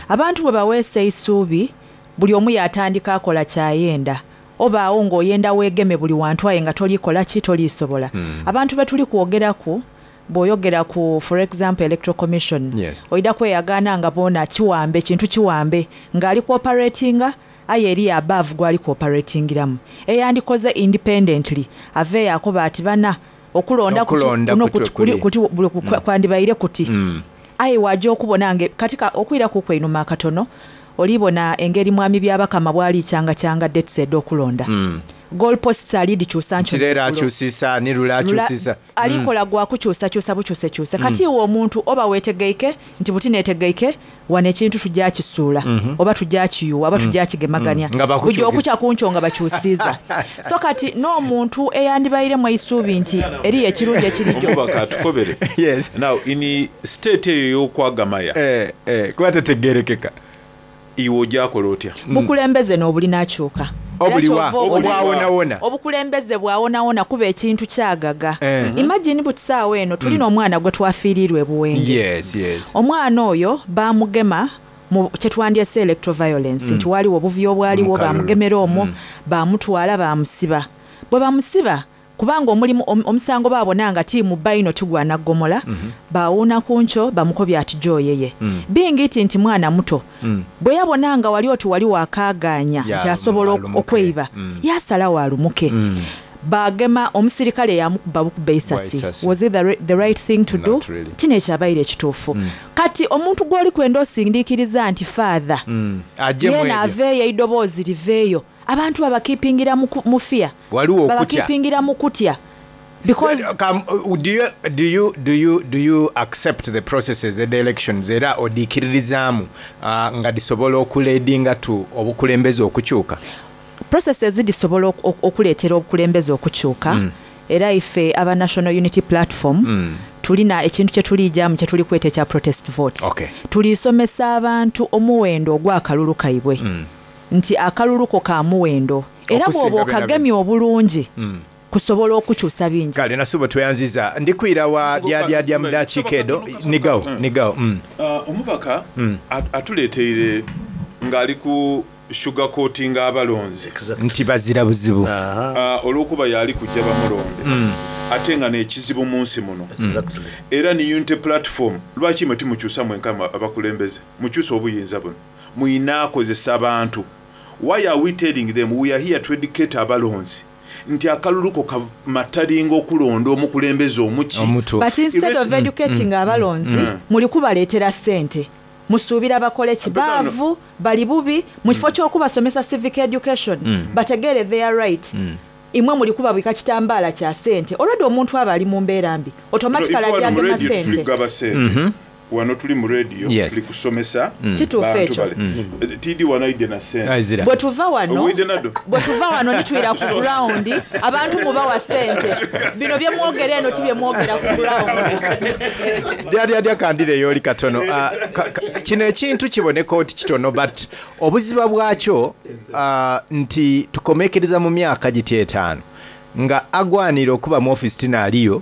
[SPEAKER 11] Abantu bwe baweesa eisuubi buli omu yatandika akola kyayenda. Obaawo ng'oyenda weegeme buli wantu aye nga tolikola ki tolisobola. Abantu be tuli kwogeraku bw'oyogera ku for example Electoral Commission oida kweyagaana nga boona kiwambe kintu kiwambe ng'ali cooperatinga aye eri above gwali cooperatingiramu eyandikoze independently aveeyo akoba ati bana okulonda kuti
[SPEAKER 9] Okulonda
[SPEAKER 11] kuno
[SPEAKER 9] kuti
[SPEAKER 11] kuti kuli
[SPEAKER 9] kuli.
[SPEAKER 11] kuti buli kwandibaire kuti aye wajja okubona nge katika okwira ku kweinuma akatono olibona engeri mwami Byabakama bwali kyanga kyanga dates ed'okulonda goal posts ali dikyusa nkyo
[SPEAKER 9] Kireera akyusisa ni lula akyusisa.
[SPEAKER 11] Alikola gwa kukyusakyusa bukyusekyuse. Kati iwe omuntu oba weetegeike nti buti neetegeike wano ekintu tujja kisuula oba tujja kiyuwa oba tujja kigemaganya
[SPEAKER 9] Nga bakukyukisa.
[SPEAKER 11] bujja okukya kunkyo nga bakyusiiza. So kati n'omuntu eyandibairemu eisuubi nti eriyo ekirungi ekirijo
[SPEAKER 4] Omubaka atukobere.
[SPEAKER 9] Yes.
[SPEAKER 4] Now in state eyo ey'okwagamaya
[SPEAKER 9] Kuba tetegerekeka.
[SPEAKER 4] Iwe ojjakola otya?
[SPEAKER 11] Bukulembeze n'obulina akyuka. Era
[SPEAKER 9] Obuliwa,
[SPEAKER 11] ky'ova obona
[SPEAKER 9] obwawonawona.
[SPEAKER 11] Obukulembeze bwawonawona kuba ekintu kyagaga. Imagine buti saawa eno tulina omwana gwe twafiirirwa e Buwenge.
[SPEAKER 9] Yes, yes.
[SPEAKER 11] Omwana oyo baamugema mu kye twandyese electoral violence nti waliwo obuvuyo obwaliwo
[SPEAKER 9] Mu kalulu.
[SPEAKER 11] bamugemera omwo baamutwala baamusiba. Bwe bamusiba kubanga omulimu omusango baabona nga tiimu bayino tigwana ggomola baawuuna ku nkyo bamukobya ati gy'oyeye. Bingi ti nti mwana muto. Bwe yabona nga wali oti wali wakaagaanya nti asobola okweiba yasalawo alumuke. Bagema omusirikale yamukuba bukuba eisasi.
[SPEAKER 9] Bwa isasi.
[SPEAKER 11] Was it the right thing to do?
[SPEAKER 9] Not really.
[SPEAKER 11] Kino ekyabaire ekituufu. Kati omuntu gw'oli kwenda osindiikiriza nti father
[SPEAKER 9] Ajje mu
[SPEAKER 11] yeena
[SPEAKER 9] ebyo.
[SPEAKER 11] aveeyo eidoboozi liveeyo. Abantu babakeepingira mu fear.
[SPEAKER 9] Waliwo okutya.
[SPEAKER 11] Babakeepingira mu kutya. Because
[SPEAKER 9] Do you accept the processes of the elections era odiikiririzaamu nga disobola okuleadinga to obukulembeze okukyuka?
[SPEAKER 11] Processes disobola okuleetera obukulembeze okukyuka. Era ife aba National Unity Platform tulina ekintu kye tulijjamu kye tuli kweta ekya protest vote. Tulisomesa abantu omuwendo ogw'akalulu kaibwe. Nti akalulu ko ka muwendo. Era
[SPEAKER 9] Okusinga
[SPEAKER 11] bw'oba
[SPEAKER 9] byonna
[SPEAKER 11] okagemye obulungi, kusobola okukyusa bingi.
[SPEAKER 9] Kale Nasubo tweyanziza. Ndikwira wa dya dya dya mudakiika edo. Nigawo, nigawo.
[SPEAKER 4] Omubaka atuleeteire ng'ali ku sugar coating abalonzi.
[SPEAKER 9] Nti bazira buzibu.
[SPEAKER 4] Olw'okuba yali kujja bamulonde. Ate nga n'ekizibu mu nsi muno. Era ni Unity Platform, lwaki mwe timukyusa mwenka abakulembeze? Mukyuse obuyinza buno. Muyina akozesa abantu. Why are we telling them we are here to educate abalonzi? Nti akalulu ko kamatalinga okulonda omukulembeze omuki.
[SPEAKER 9] Omutuufu.
[SPEAKER 11] But instead of educating abalonzi, muli kubaleetera ssente. Musuubira bakole ki?
[SPEAKER 4] Abegano.
[SPEAKER 11] Baavu, bali bubi, mu kifo ky'okubasomesa civic education, bategeere their right. Imwe muli kubabika kitambaala kya ssente. Already omuntu aba ali mu mbeera mbi. Automatically
[SPEAKER 4] No, if
[SPEAKER 11] ajja
[SPEAKER 4] wano mu
[SPEAKER 11] agema
[SPEAKER 4] radio
[SPEAKER 11] ssente.
[SPEAKER 4] tuli kugaba ssente. Wano tuli mu radio, tuli kusomesa
[SPEAKER 11] Kituufu
[SPEAKER 4] bantu
[SPEAKER 11] ekyo.
[SPEAKER 4] bale. TD wano aidde na ssente.
[SPEAKER 9] Aizira.
[SPEAKER 11] Bwe tuva wano,
[SPEAKER 4] Owidde nado?
[SPEAKER 11] bwe tuva wano nitwira ku ground, abantu mubawa ssente. Bino bye mwogera eno ti bye mwogera ku ground.
[SPEAKER 9] Dya dya dya kandire yooli katono. Kino ekintu kiboneka oti kitono but obuziba bwakyo nti tukomekereza mu myaka giti etaano nga agwanira okuba mu office tina aliyo,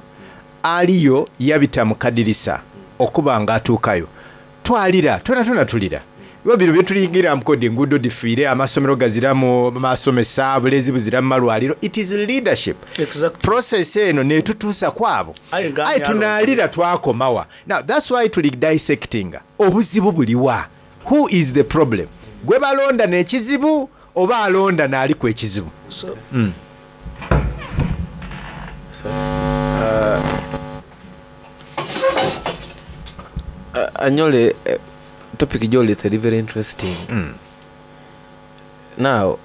[SPEAKER 9] aliyo yabita mu kadirisa okuba nga atuukayo. Twalira, twena twena tulira. Kuba bino byetulingiramu kodi enguudo dhifiire, amasomero gaziramu masomesa, obulezi buzira mu malwaliro, it is leadership.
[SPEAKER 10] Exactly.
[SPEAKER 9] Process eno netutuusa kwabo.
[SPEAKER 10] Aye nga
[SPEAKER 9] Aye
[SPEAKER 10] ani alonda?
[SPEAKER 9] tunaalira twakoma wa? Now that's why tuli dissectinga obuzibu buliwa? Who is the problem? Gwebalonda nekizibu oba alonda naaliku ekizibu?
[SPEAKER 10] So,
[SPEAKER 12] Anyole, topic gyolese eri very interesting. Now,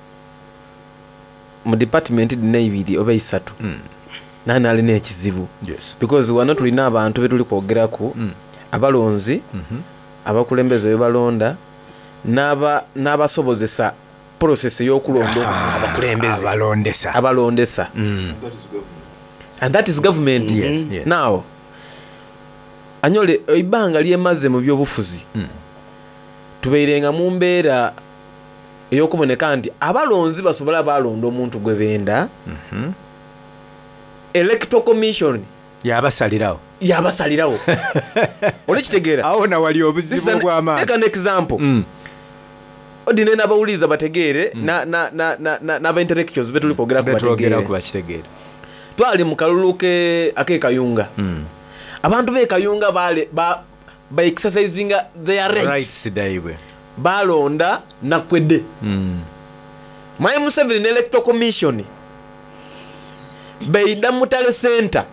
[SPEAKER 12] mu department dhino eibiri oba eisatu, nani alina ekizibu?
[SPEAKER 9] Yes.
[SPEAKER 12] Because wano tulina abantu betuli kwogeraku, abalonzi, abakulembeze bebalonda, n'abasobozesa process ey'okulonda okufuna abakulembeze.
[SPEAKER 9] Abalondesa.
[SPEAKER 12] Abalondesa. And that is government.
[SPEAKER 9] Yes, yes.
[SPEAKER 12] Now, Anyole, eibanga lyemaze mu byobufuzi, tubairenga mu mbeera ey'okuboneka nti abalonzi basobola balonda omuntu gwe benda. Electoral Commission
[SPEAKER 9] yabasalirawo.
[SPEAKER 12] Yabasalirawo. Olikitegeera?
[SPEAKER 9] Awo nawali obuzibu obw'amaanyi.
[SPEAKER 12] Take an example. Odine n'abawuliriza bategeere, n'aba intellectuals betuli kwogeraku
[SPEAKER 9] Betwogeraku
[SPEAKER 12] bategeere.
[SPEAKER 9] bakitegeere.
[SPEAKER 12] Twali mu kalulu ak'e Kayunga. Abantu b'e Kayunga ba exercisinga their rights.
[SPEAKER 9] Rights daibwe.
[SPEAKER 12] Balonda Nakwedde. Mwami Museveni ne Electoral Commission beida Mutale Center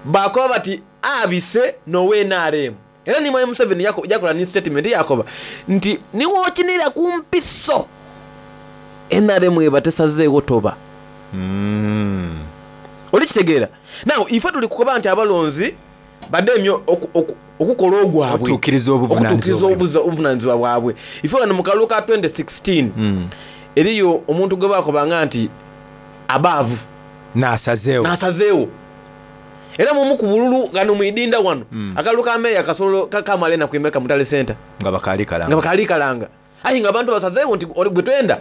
[SPEAKER 12] bakoba bati abise nowe NRM. Era ni Mwami Museveni yakola ni statement yakoba nti niwokinira ku mpiso NRM ebatesazeewo toba. Olikitegeera? Now ife tuli kukoba nti abalonzi bademye okukola ogwabwe.
[SPEAKER 9] Okutuukiriza obuvunaanyizibwa
[SPEAKER 12] Okutuukiriza obuvunaanyizibwa bwabwe. Ife wano mu kalulu ka 2016, eriyo omuntu gwe bakobanga nti abaavu.
[SPEAKER 9] N'asazeewo.
[SPEAKER 12] N'asazeewo. Era mumu ku bululu gano mwidinda wano. Akalulu ka meeya kasolo kamala enaku emeka Mutale Center.
[SPEAKER 9] Nga bakaali kalanga.
[SPEAKER 12] Nga bakaali kalanga. Aye nga abantu basazeewo nti oli gwe twenda.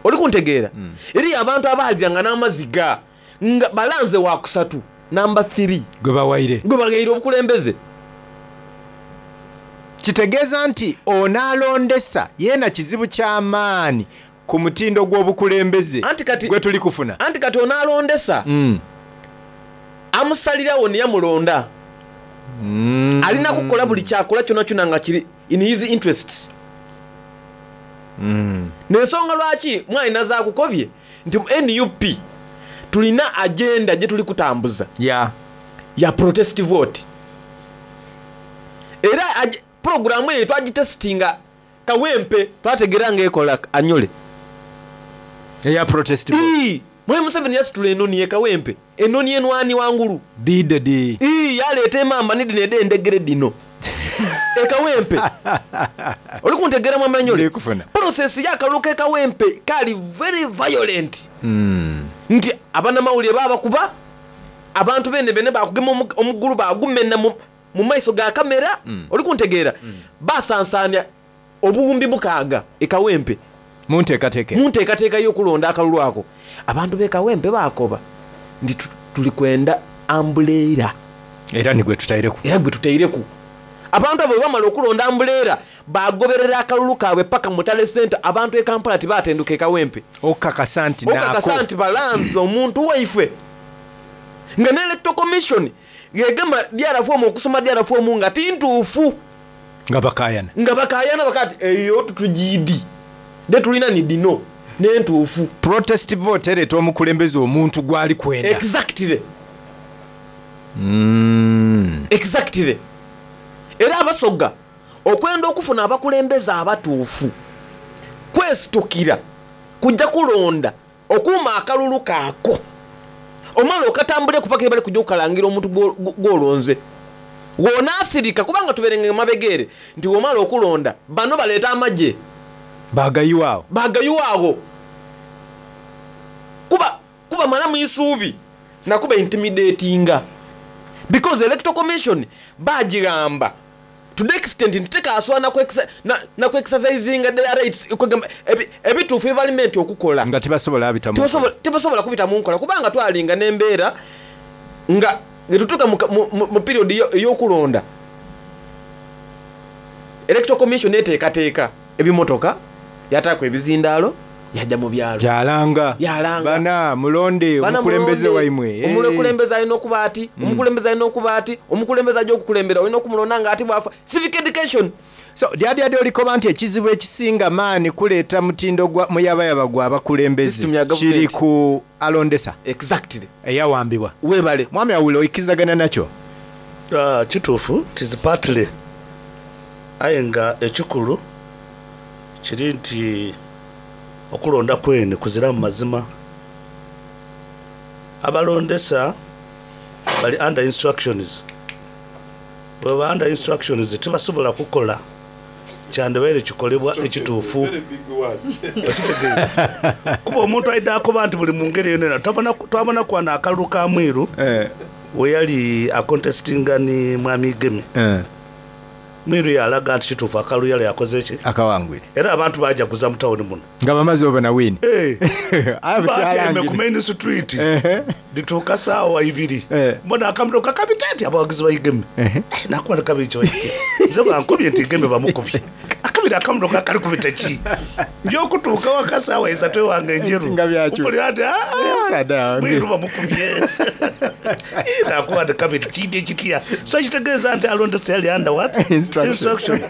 [SPEAKER 12] Oli kuntegeera? Eriyo abantu abaalyanga n'amaziga nga balanze wa kusatu namba 3.
[SPEAKER 9] Gwe bawaire.
[SPEAKER 12] Gwe bawaire obukulembeze.
[SPEAKER 9] Kitegeeza nti onaalondesa yeena kizibu ky'amaanyi ku mutindo gw'obukulembeze
[SPEAKER 12] Anti kati
[SPEAKER 9] gwe tuli kufuna.
[SPEAKER 12] Anti kati onaalondesa amusalirawo ne yamulonda. Alina kukola buli kyakola kyonna kyonna nga kiri in his interests. N'ensonga lwaki mwalina zaakukobye nti mu NUP tulina agenda gye tuli kutambuza. Ya protest vote. Era programu eyo twagitestinga Kawempe, twategeera ng'ekola Anyole.
[SPEAKER 9] Eya protest vote.
[SPEAKER 12] Mwami Museveni yasitula enoni ye Kawempe, enoni enwani wangulu.
[SPEAKER 9] Dide di.
[SPEAKER 12] Yaleeta emamba ni dino ed'endegere dino. E Kawempe. Oli kuntegeera Mwami Anyole?
[SPEAKER 9] Ndikufuna.
[SPEAKER 12] Process y'akalulu k'e Kawempe kali very violent. Nti abanamawulire babakuba, abantu bene bene bakugema omugulu bagumena mu maiso ga kamera. Oli kuntegeera? Basansaanya obuwumbi mukaaga e Kawempe.
[SPEAKER 9] Mu nteekateeka.
[SPEAKER 12] Mu nteekateeka y'okulonda akalulu ako. Abantu b'e Kawempe baakoba nti tuli kwenda ambuleera.
[SPEAKER 9] Era ni gwe tutaireku.
[SPEAKER 12] Era gwe tutaireku. Abantu abo bwe bamala okulonda ambuleera bagoberera akalulu kaabwe paka Mutale Center. Abantu e Kampala tibatenduka e Kawempe.
[SPEAKER 9] Okakasa nti
[SPEAKER 12] Okakasa
[SPEAKER 9] naako.
[SPEAKER 12] nti balanze omuntu waife. Nga ne Electoral Commission yegema DR form okusoma DR form nga tintuufu.
[SPEAKER 9] Nga bakaayana.
[SPEAKER 12] Nga bakaayana bakati eyo tutugiidi. De tulina ni dino n'entuufu.
[SPEAKER 9] Protest vote ereeta omukulembeze omuntu gw'ali kwenda.
[SPEAKER 12] Exactly. Exactly. Era abasoga okwenda okufuna abakulembeze abatuufu kwesitukira kujja kulonda okuuma akalulu kaako omala okatambule kupaka bali kujja okukalangira omuntu gw'olonze. W'onaasirika kubanga tuberenge mabegeere nti w'omala okulonda bano baleeta amagye.
[SPEAKER 9] Bagayiwaawo.
[SPEAKER 12] Bagayiwaawo. Kuba malamu isuubi nakuba intimidatinga. Because Electoral Commission bagigamba to the extent nti tekaaswa na ku exercising their rights, kwegamba ebituufu ebibalimenti okukola.
[SPEAKER 9] Nga tebasobola abita mu nkola.
[SPEAKER 12] Tebasobola kubita mu nkola kubanga twalinga n'embeera nga getutuuka mu period ey'okulonda. Electoral Commission eteekateeka ebimotoka, yataaku ebizindaalo, yaja mu byalo.
[SPEAKER 9] Yalanga.
[SPEAKER 12] Yalanga.
[SPEAKER 9] Bana mulonde
[SPEAKER 12] Bana
[SPEAKER 9] omukulembeze
[SPEAKER 12] mulonde,
[SPEAKER 9] waimwe. Eh.
[SPEAKER 12] Omukulembeze alina okuba ati, omukulembeze alina okuba ati, omukulembeze aja okukulembera olina okumulonda nga ati bwafa. Civic education.
[SPEAKER 9] So Dyadyadya olikoba nti ekizibu ekisinga maani kuleeta mutindo gwa muyabayaba gwa bakulembeze
[SPEAKER 12] System ya
[SPEAKER 9] kiri
[SPEAKER 12] government.
[SPEAKER 9] ku alondesa.
[SPEAKER 12] Exactly.
[SPEAKER 9] Eyawambibwa.
[SPEAKER 12] Webale.
[SPEAKER 9] Mwami Awilo oikizagana nakyo?
[SPEAKER 10] Kituufu it is partly aye nga ekikulu kiri nti okulonda kwene kuziramu mazima. Abalondesa bali under instructions, bwebaba under instructions tibasobola kukola kyandibaire kikolebwa ekituufu. Okitegeire? Kuba omuntu aidha akoba nti buli mungeri yonayona twabonaku wano akalulu ka Mwiru weyali akontesitinga ni Mwami Igeme. Mwiru yalaga nti kituufu akalulu yali akoze ki?
[SPEAKER 9] Akawangwire.
[SPEAKER 10] Era abantu bajaguza mu tawuni muno.
[SPEAKER 9] Nga bamaze obona wini.
[SPEAKER 10] Eh.
[SPEAKER 9] Aye
[SPEAKER 10] Batyaime ku main street. Dhituuka saawa ibiri. Mbona akamotoka kabita nti abawagizi ba Igeme. Nakuba nti kabiri kibaite. Nze bankubye nti Igeme bamukubye. Akabiri akamotoka akali kubita ki? Nja okutuuka waka saawa isatu ewange Njeru. Mpulira nti aah Mwiru bamukubye. Nakuba nti kabiri kiidye kitya? So ekitegeeza nti alondesa yali under what? Instruction.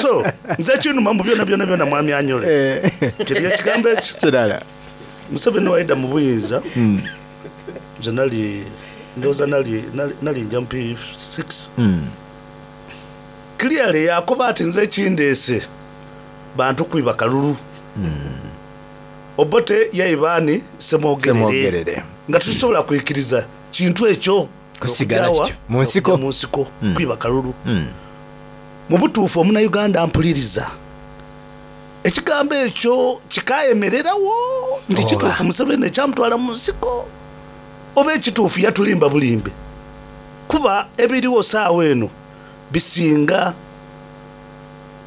[SPEAKER 10] So nze ekinuma mu byona byona byona Mwami Anyole. Kiri ekigambo ekyo.
[SPEAKER 9] Kirala.
[SPEAKER 10] Museveni waida mu buyinza. Nze nali ndowooza nali nali nja mu P6. Clearly yakoba ati nze ekindeese bantu kwiba kalulu. Obote yaiba ani? Ssemwogerere. Nga titusobola kwikiriza kintu ekyo
[SPEAKER 9] Kusigala kityo. Mu nsiko.
[SPEAKER 10] Mu nsiko kwiba kalulu. Mu butuufu omunauganda ampuliriza. Ekigambo ekyo kikayemererawo nti kituufu Museveni ekyamutwala mu nsiko oba ekituufu yatulimba bulimbe. Kuba ebiriwo saawa eno bisinga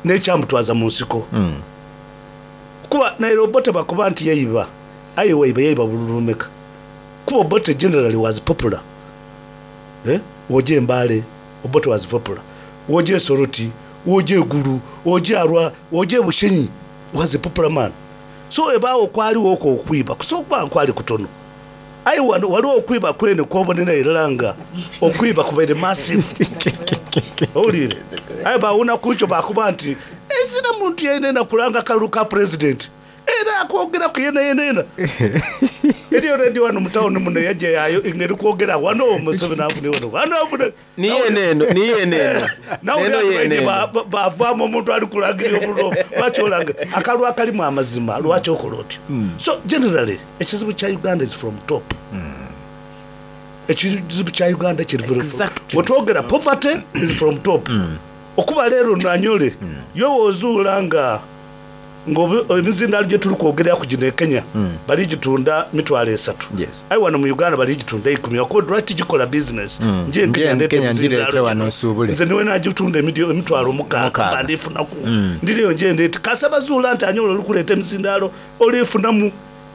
[SPEAKER 10] n'ekyamutwaza mu nsiko. Kuba naire Obote bakoba nti yaiba, aye waiba yaiba bululu bumeka? Kuba Obote generally was popular. Eh, woja e Mbale, Obote was popular. Woja e Soroti, woja e Gulu, woja Arua, woja e Bushenyi, was a popular man. So ebaawo kwaliwo okwo okwiba, kusobola okuba nga kwali kutono. Aye wano waliwo okwiba kwene kwobonera irala nga okwiba kubaire massive. Owulire? Aye bawona ku nkyo bakoba nti ezira muntu yenayena kulanga kalulu ka president. Era akwogeraku yenayena. Eriyo radio wano mu town muno yaja yayo nga eri kwogera wano Museveni afune wano. Wano afune.
[SPEAKER 12] Ni yene eno, ni yene eno.
[SPEAKER 10] Nawe
[SPEAKER 12] Neno
[SPEAKER 10] ate
[SPEAKER 12] yene
[SPEAKER 10] baije
[SPEAKER 12] eno.
[SPEAKER 10] bavaamu omuntu ali kulangirira obululu. Lwaki olanga? Akalulu akalimu amazima, lwaki okola otyo? So generally, ekizibu kya Uganda is from top. Ekizibu kya Uganda kiri from
[SPEAKER 12] Exactly.
[SPEAKER 10] Bwetwogera poverty is from top. Okuba leero nanyole, yo wozuula nga emizindaalo gye tuli kwogeraku gino e Kenya, bali gitunda mitwalo esatu. Aye wano mu Uganda bali gitunda ikumi. Okuba lwaki gikola business? Nje e Kenya
[SPEAKER 9] Nje
[SPEAKER 10] ndeeta
[SPEAKER 9] Kenya
[SPEAKER 10] emizindaalo
[SPEAKER 9] ngireete
[SPEAKER 10] gino.
[SPEAKER 9] wano nsuubule.
[SPEAKER 10] Nze niwe nagitunda emitwalo mukaaga, mba ndifunaku. Ndiriyo nje ndeeta. Kasa bazuula nti anyola oli kuleeta emizindaalo, olifunamu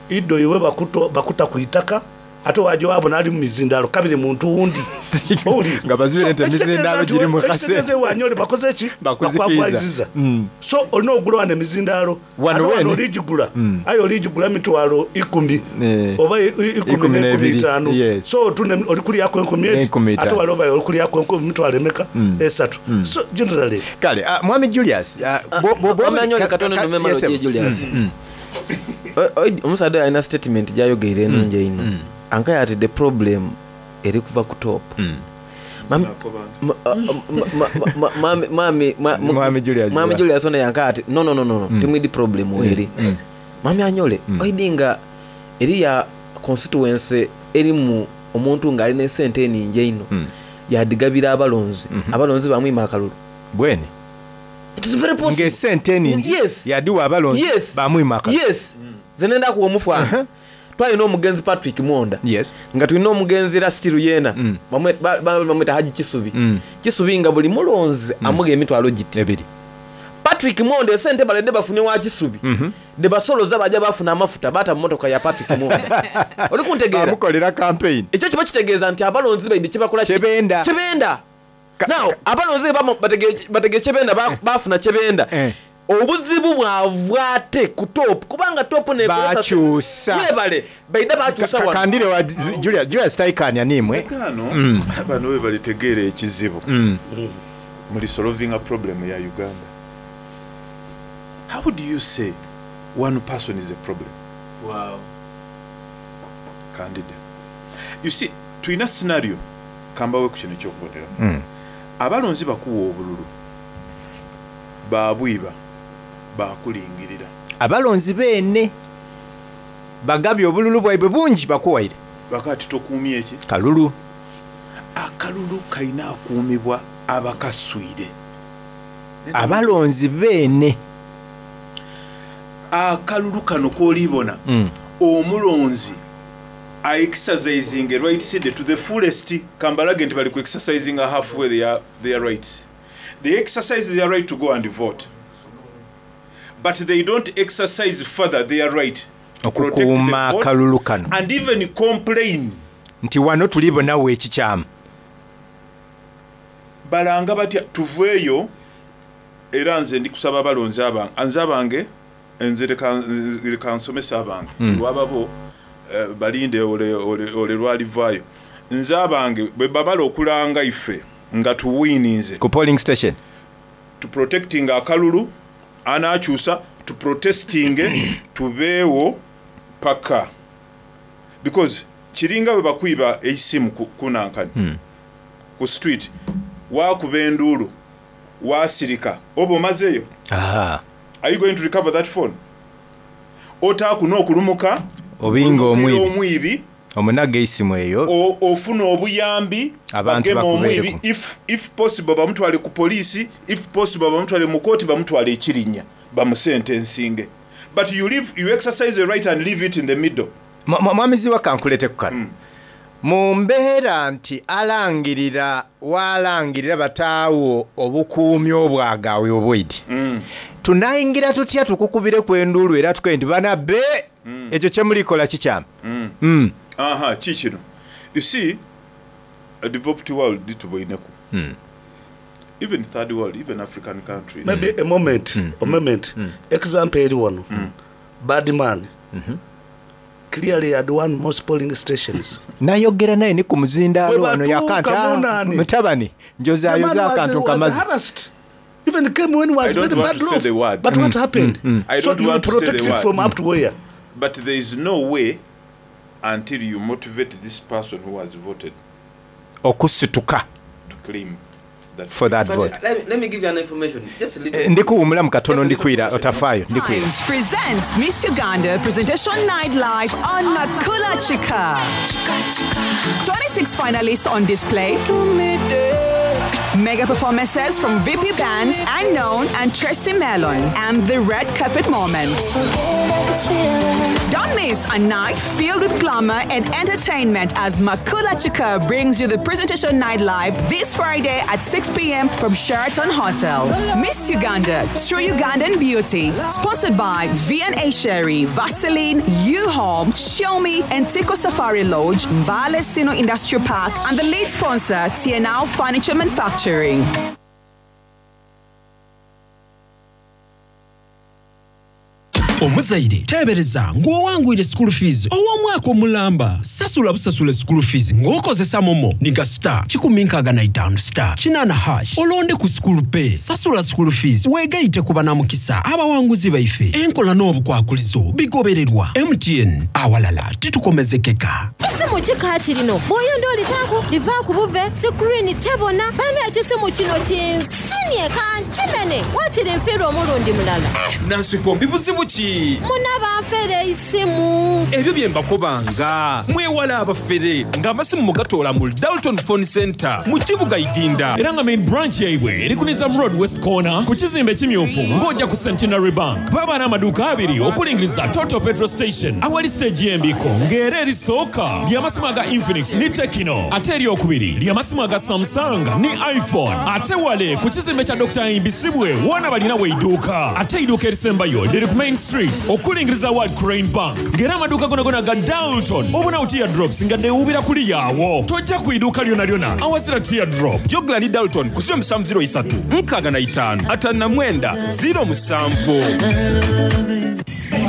[SPEAKER 10] iddo iwe bakuta ku itaka, ate waja wabona ali mu mizindaalo kabiri muntu wundi. Owulira?
[SPEAKER 9] Nga bazuule nti
[SPEAKER 10] So,
[SPEAKER 9] emizindaalo giri mu
[SPEAKER 10] ekitegeeza
[SPEAKER 9] kasente.
[SPEAKER 10] wanyole bakoze ki?
[SPEAKER 9] Bakuzikiiza.
[SPEAKER 10] Bakwakwaziza. So olina okugula wano emizindaalo.
[SPEAKER 9] Wano
[SPEAKER 10] Ate wano
[SPEAKER 9] wene?
[SPEAKER 10] oligigula. Aye oligigula mitwalo ikumi. Oba ikumi
[SPEAKER 9] Ikumi
[SPEAKER 10] n'enkumi
[SPEAKER 9] n'ebiri.
[SPEAKER 10] itaano.
[SPEAKER 9] Yes.
[SPEAKER 10] So otunda oli kulyaku enkumi eti.
[SPEAKER 9] Enkumi itaano.
[SPEAKER 10] Ate wali oba oli kulyaku enkumi mitwalo emeka? Esatu. So generally.
[SPEAKER 9] Kale, Mwami Julius,
[SPEAKER 12] Mwami Anyole katono ndume malo gye Julius. Omusaadha oyo alina statement gyayogeire enungi einho. Ankaye ati the problem eri kuva ku top.
[SPEAKER 9] Mwami Julius.
[SPEAKER 12] Mwami Julius ono yankaye ati no, no, no, no, no. Timwidi problem eri. Mwami Anyole, oidi nga eriya constituency erimu omuntu nga alina esente eningi einho. Yadigabira abalonzi. Abalonzi bamwima akalulu.
[SPEAKER 9] Bwene.
[SPEAKER 12] It is very possible.
[SPEAKER 9] Ng'esente eningi
[SPEAKER 12] Yes.
[SPEAKER 9] yadiwa abalonzi
[SPEAKER 12] Yes.
[SPEAKER 9] bamwima akalulu.
[SPEAKER 12] Yes. Nze nenda kuwa omufano. Twalina omugenzi Patrick Mwonda.
[SPEAKER 9] Yes.
[SPEAKER 12] Nga tulina omugenzi era still yena. Bamweta Haji Kisubi. Kisubi nga buli mulonzi amuga emitwalo giti.
[SPEAKER 9] Ebiri.
[SPEAKER 12] Patrick Mwonda esente baledde bafune wa Kisubi. De basoloza bajja bafuna amafuta bata mu motoka ya Patrick Mwonda. Oli kuntegeera?
[SPEAKER 9] Bamukolera campaign.
[SPEAKER 12] Ekyo kiba kitegeeza nti abalonzi baidi kyebakola ki?
[SPEAKER 9] Kyebenda.
[SPEAKER 12] Kyebenda. Now abalonzi bwe bategeera kye benda baafuna kye benda, obuzibu bwava ate ku top kubanga top n'ekozesa.
[SPEAKER 9] Baakyusa.
[SPEAKER 12] Mwebale baidha baakyusa wano.
[SPEAKER 9] Kandire wa Julius taikaania niimwe.
[SPEAKER 4] Ghano bano bwebalitegeera ekizibu muli solovinga problem ya Uganda. How do you say one person is a problem?
[SPEAKER 12] Wow.
[SPEAKER 4] Kandide. You see, tulina scenario kambawe ku kino ekyokuboneraku. Abalonzi bakuwa obululu, baabwiba, baakulingirira.
[SPEAKER 9] Abalonzi beene bagabye obululu bwaibwe bungi bakuwaire.
[SPEAKER 4] Bakati tokuumye ki?
[SPEAKER 9] Kalulu.
[SPEAKER 4] Akalulu kalina akuumibwa abakaswire.
[SPEAKER 9] Abalonzi beene.
[SPEAKER 4] Akalulu kano k'olibona omulonzi a exercising right side to the fullest. Kambalage nti bali ku exercising halfway their rights. They exercise their right to go and vote, but they don't exercise further their right to protect the
[SPEAKER 9] Okukuuma
[SPEAKER 4] vote
[SPEAKER 9] akalulu kano.
[SPEAKER 4] and even complain.
[SPEAKER 9] Nti wano tulibonawo ekikyamu.
[SPEAKER 4] Balanga batya tuveeyo era nze ndi kusaba abalonzi abange nze abange nze leka nsomesa abange lwababo balinde ole lwalivaayo. Nze abange bwe babala okulanga ife nga tuwiininze
[SPEAKER 9] ku polling station
[SPEAKER 4] tu protecting akalulu anakyusa tu protesting tubeewo paka because kiringa bwe bakwiba eisimu kunankani ku street wakuba enduulu wasirika oba omazeeyo. Are you going to recover that phone? Otaaku n'okulumuka
[SPEAKER 9] obinga omwibi
[SPEAKER 4] omwibi
[SPEAKER 9] omunaga eisimu eyo
[SPEAKER 4] ofuna obuyambi
[SPEAKER 9] abantu
[SPEAKER 4] bagema omwibi
[SPEAKER 9] bakubeereko.
[SPEAKER 4] if possible bamutwale ku poliisi, if possible bamutwale mu kooti, bamutwale ekirinya bamusentensinge, but you leave, you exercise the right and leave it in the middle.
[SPEAKER 9] Mwami Ziwa kankulete ku kano. Mu mbeera nti alangirira walangirira bataawo obukuumi obwagawe obwidi tunayingira tutya tukukubire ku enduulu era tukoye nti bana be ekyo kyemulikola kikyamu.
[SPEAKER 4] Aha, kikino you see, a developed world tuboineku, even third world, even African countries.
[SPEAKER 10] Maybe a moment, a moment. Example eri wano. Bad man clearly had won most polling stations.
[SPEAKER 9] Nayogera naye ni ku muzindaalo
[SPEAKER 10] Bwe
[SPEAKER 9] wano
[SPEAKER 10] batuuka
[SPEAKER 9] yakanta
[SPEAKER 10] munani.
[SPEAKER 9] mutabani
[SPEAKER 10] The man
[SPEAKER 9] njozayoza akantu
[SPEAKER 10] was
[SPEAKER 9] nkamaze.
[SPEAKER 10] harassed. Even came when he was
[SPEAKER 4] I don't
[SPEAKER 10] very
[SPEAKER 4] want
[SPEAKER 10] bad
[SPEAKER 4] to say
[SPEAKER 10] off.
[SPEAKER 4] the word.
[SPEAKER 10] But what happened?
[SPEAKER 4] I
[SPEAKER 10] So
[SPEAKER 4] don't
[SPEAKER 10] you
[SPEAKER 4] want to say
[SPEAKER 10] protect
[SPEAKER 4] the
[SPEAKER 10] it
[SPEAKER 4] word.
[SPEAKER 10] from up to where?
[SPEAKER 4] But there is no way until you motivate this person who has voted
[SPEAKER 9] okusituka
[SPEAKER 4] to claim that
[SPEAKER 9] for that
[SPEAKER 12] But
[SPEAKER 9] vote.
[SPEAKER 12] let me give you an information. Just a little.
[SPEAKER 9] Ndikuwumulamu katono ndikwira otafaayo ndikwira.
[SPEAKER 13] Times presents Miss Uganda Presentation Night Live on Makula Chika. 26 finalists on display. Mega performances from VP Band, Unknown, and Tracy Melon, and the red carpet moment. Don't miss a night filled with glamour and entertainment as Makula Chika brings you the Presentation Night Live this Friday at 6 p.m. from Sheraton Hotel. Miss Uganda, True Ugandan Beauty. Sponsored by V&A Sherry, Vaseline, U-Home, Xiaomi, and Tico Safari Lodge, Mbale Sino Industrial Park, and the lead sponsor, TNL Furniture Manufacturing.
[SPEAKER 5] Omuzaire teebereza ng'owangwire school fees ow'omwaka omulamba sasula busasula school fees ng'okozesa momo niga star 165 star 8 hash olonde ku school pay sasula school fees weegayite ku banamukisa abawanguzi baife enkola n'obukwakulizo bigobererwa MTN awalala titukomezekeka.
[SPEAKER 14] Ekisimu kika kirino bw'oyonda olitaku livaaku buve sikurini tebona bana ekisimu kino kinsinye kankimene wakiri nfiirwa omulundi mulala.
[SPEAKER 15] Nansikombi buzibu ki?
[SPEAKER 14] Muna banfere isimu.
[SPEAKER 15] Ebyo bye mbakobanga mwewala abafere ng'amasimu mugatoola mu Dalton Phone Center mu kibuga Idinda.
[SPEAKER 16] Era nga main branch yaibwe eri ku Nizam Road West Corner ku kizimbe ekimyufu ng'ojja ku Centenary Bank. Baba n'amaduuka abiri okulingiriza Toto Petrol Station awali stage y'embiko ng'era erisooka ly'amasimu aga Infinix ne Tecno ate eryokubiri ly'amasimu aga Samsung ne iPhone ate wale ku kizimbe kya Dr. Imbisibwe woona balina weidduuka ate eiduuka erisembayo liri ku Main Street. Street okulingiriza World Crane Bank ng'era amaduuka gonagona aga Dalton obonawo Tear Drops nga dhewuubira kuliya agho. Toja ku iduuka lyonalyona awazira Tear Drop.
[SPEAKER 15] Jogla ni Dalton ku 0703 65 59 07.